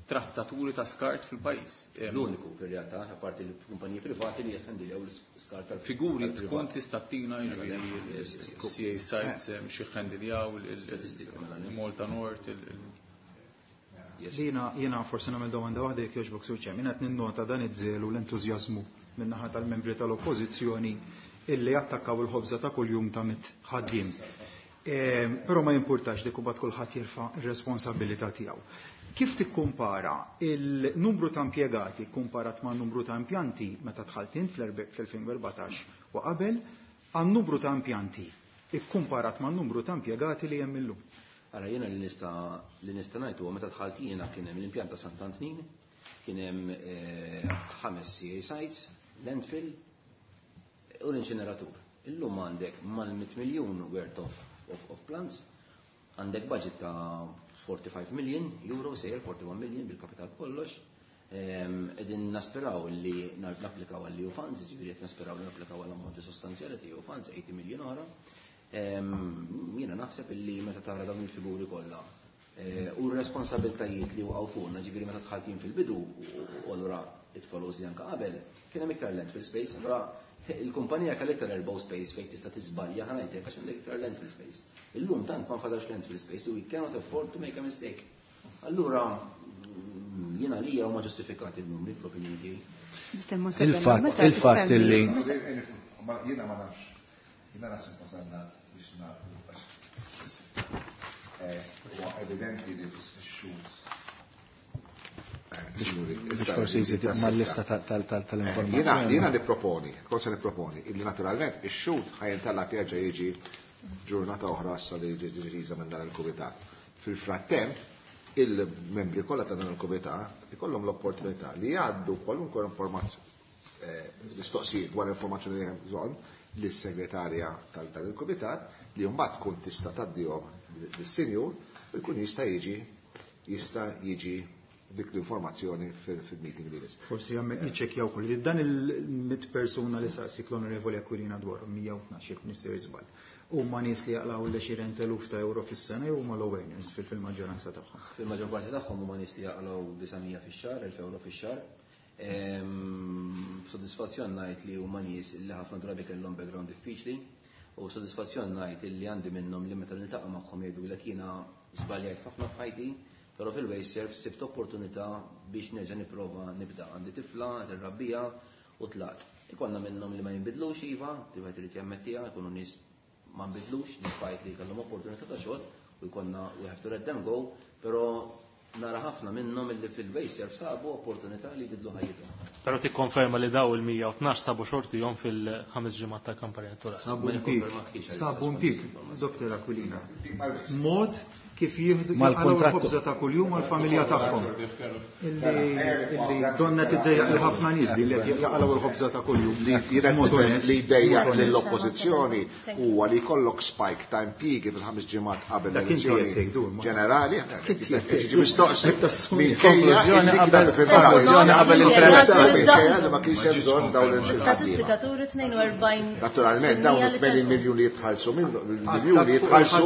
trattaturi ta' skart fil-pajjiż.
L-uniku fir-realtà, apparti l-kumpaniji privati li jħendiljaw l-skart
tal-figuri tkun tista' tina jiġifieri C A sites xi ħendiljaw il-Malta Nord.
Jiena jiena forsi nagħmel domanda waħda jekk jogħġbok Sur Chairman, qed ninnota dan iż-żelu l-entużjażmu min-naħa tal-membri tal-Oppożizzjoni illi attakkaw il-ħobża ta' kuljum ta' mit ħaddiem. Però ma jimpurtax dik imbagħad kulħadd jerfa' r-responsabilità tiegħu. Kif tikkumpara il-numru ta' impjegati kumparat ma' numru ta' impjanti meta dħalt int fl-elfejn u erbatax u qabel għan-numru ta' impjanti ikkumparat ma' numru ta' impjegati li hemm illum?
Ara jiena li nista' li nista' ngħid huwa meta dħalt jiena kien hemm l-impjant ta' Sant'Antnin, kien hemm ħames C A sites, landfill u l-inċineratur. Illum għandek mal-mitt miljun worth of Of, of plants, għandek budget ta' forty-five million euro, sejjer forty-one million bil-kapital kollox. Qegħdin nasperaw li napplikaw għall E U funds, jiġifieri qed nasperaw li napplikaw għall ammonti sostanzjali ta' E U funds, eighty million oħra. Jiena naħseb illi meta tara dawn il-figuri kollha u r-responsabiltajiet li waqgħu fuqna, ġifieri meta dħaltin fil-bidu u allura it follows li anke qabel, kien hemm iktar landfill space, allura il-kumpanija kellha iktar elbow space fejn tista' tiżbalja ħa ngħidlek għax għandek iktar landfill space. Illum tant ma nfadalx landfill space, we cannot afford to make a mistake. Allura jiena lija huma ġustifikati n-numri fl-opinjoni tiegħi.
Il-fatt, il-fatt illi
jiena ma nafx, jiena naħseb wasalna biex nagħmlu huwa evidenti li fis-xhur.
Biex forsi jżid mal-lista tal-informazzjoni.
Jiena nipproponi, cosa nipproponi, illi naturalment ix-xhud ħajintalla jerġa' jiġi ġurnata oħra issa li jiġi deċiża minn dan il-kumitat. Fil-frattemp, il-membri kollha ta' dan il-kumitat ikollhom l-opportunità li jgħaddu kwalunkwe informazzjoni, mistoqsijiet dwar informazzjoni li hemm bżonn lis-segretarja tal dan il-kumitat li mbagħad tkun tista' tgħaddihom lis-sinjur u jkun jista' jiġi jista' jiġi dik l-informazzjoni fil-meeting li jmiss.
Forsi għamme jiċċekkjaw ukoll li dan il-mitt persuna li saqsik l-Onorevoli Aquilina dwar mija u tnax jekk nistgħu jiżball. Huma nies li jaqlaw l-għexieren eluf ta' euro fis-sena jew huma low earners fil-maġġoranza tagħhom?
Fil-maġġor parti tagħhom huma nies li jaqlaw disa' mija fix-xahar, elf euro fix-xahar. B'sodisfazzjon ngħid li huma nies li ħafna drabi kellhom background diffiċli u b'sodisfazzjon ngħid li għandi minnhom li meta niltaqa' magħhom jgħidulek jiena żbaljajt ħafna f'ħajti, però fil-WasteServ sibt opportunità biex nerġa' nipprova nibda. Għandi tifla, qed irrabbija u tlaqt. Ikollna minnhom li ma jinbidlux iva, wieħed irid jammettiha, ikunu nies ma nbidlux, despite li kellhom opportunità ta' xogħol u jkollna we have to let them go, però nara ħafna minnhom illi fil-WasteServ sabu opportunità li jbidlu ħajjithom.
Però tikkonferma li daw il-mija u tnax sabu xortihom fil-ħames ġimgħat tal-kampanja elettorali.
Sabu impjieg, sabu impjieg, Doktor Aquilina. Mod kif jieħdu l-ħobża ta' kuljum għall-familja tagħhom. Illi donna tiddejjaq li ħafna nies li qed jaqalgħu l-ħobża ta' kuljum.
Li jdejjaq lill-oppożizzjoni huwa li jkollok spike ta' impjiegi fil-ħames ġimgħat qabel l-elezzjoni ġenerali. Tiġi mistoqsi
konklużjoni qabel konklużjoni qabel il-premessa.
Ma kienx hemm bżonn dawn
il-statistika turi tnejn u erbgħin.
Naturalment dawn it-tmenin miljun li jitħallsu miljun li jitħallsu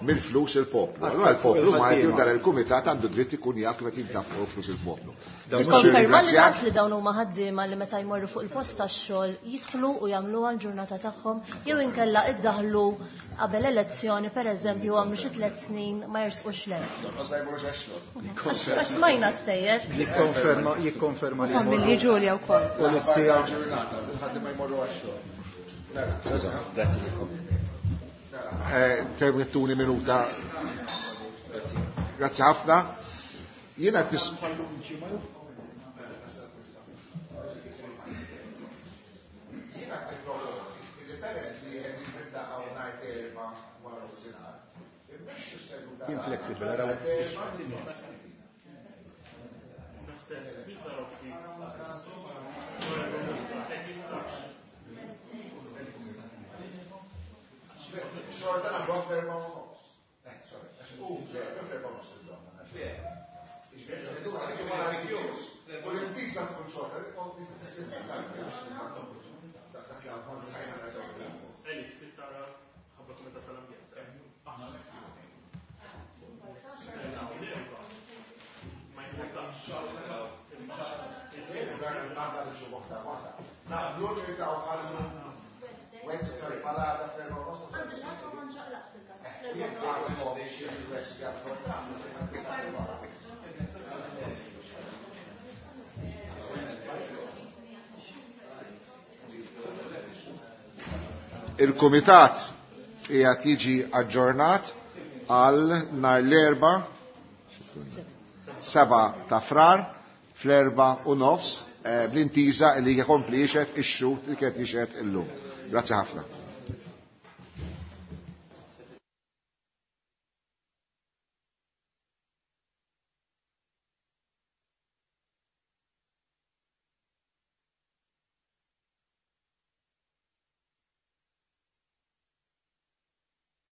mill-flus il-poplu. Allora il-poplu Malti u dan il-kumitat għandu dritt ikun jaf kif qed jintafqu flus il-poplu.
Konferma li naf li dawn huma ħaddiema li meta jmorru fuq il-post tax-xogħol jidħlu u jagħmluha l-ġurnata tagħhom jew inkella iddaħlu qabel elezzjoni pereżempju għamlu xi tliet snin ma jersqux le. Għax smajna stejjer.
Jikkonferma jikkonferma li
familji Ġulja wkoll.
U l-sija
ħaddiema jmorru għax-xogħol. Grazzi. Permettuni minuta. Grazzi ħafna. Jiena tis
Inflexible, araw.
Xorta nagħmlu ferma u nofs. Eh, sorry, għax u ferma u nofs id-donna. U l-imtisa tkun xorta,
Elix, tittara ħabba kumitat tal-ambjent. Aħna ma jimportax.
Naqblu li ta' għallu Wednesday, palata ferma u nofs.
Għandu xaħat ma nċaqlaq fil-kas.
Jekk għandhom xi request Il-Kumitat qiegħed jiġi aġġornat għal nhar l-erba' seba' ta' Frar fl-erba' u nofs bl-intiża li jkompli jixhed ix-xhud li kienet jixhed illum. Grazzi ħafna.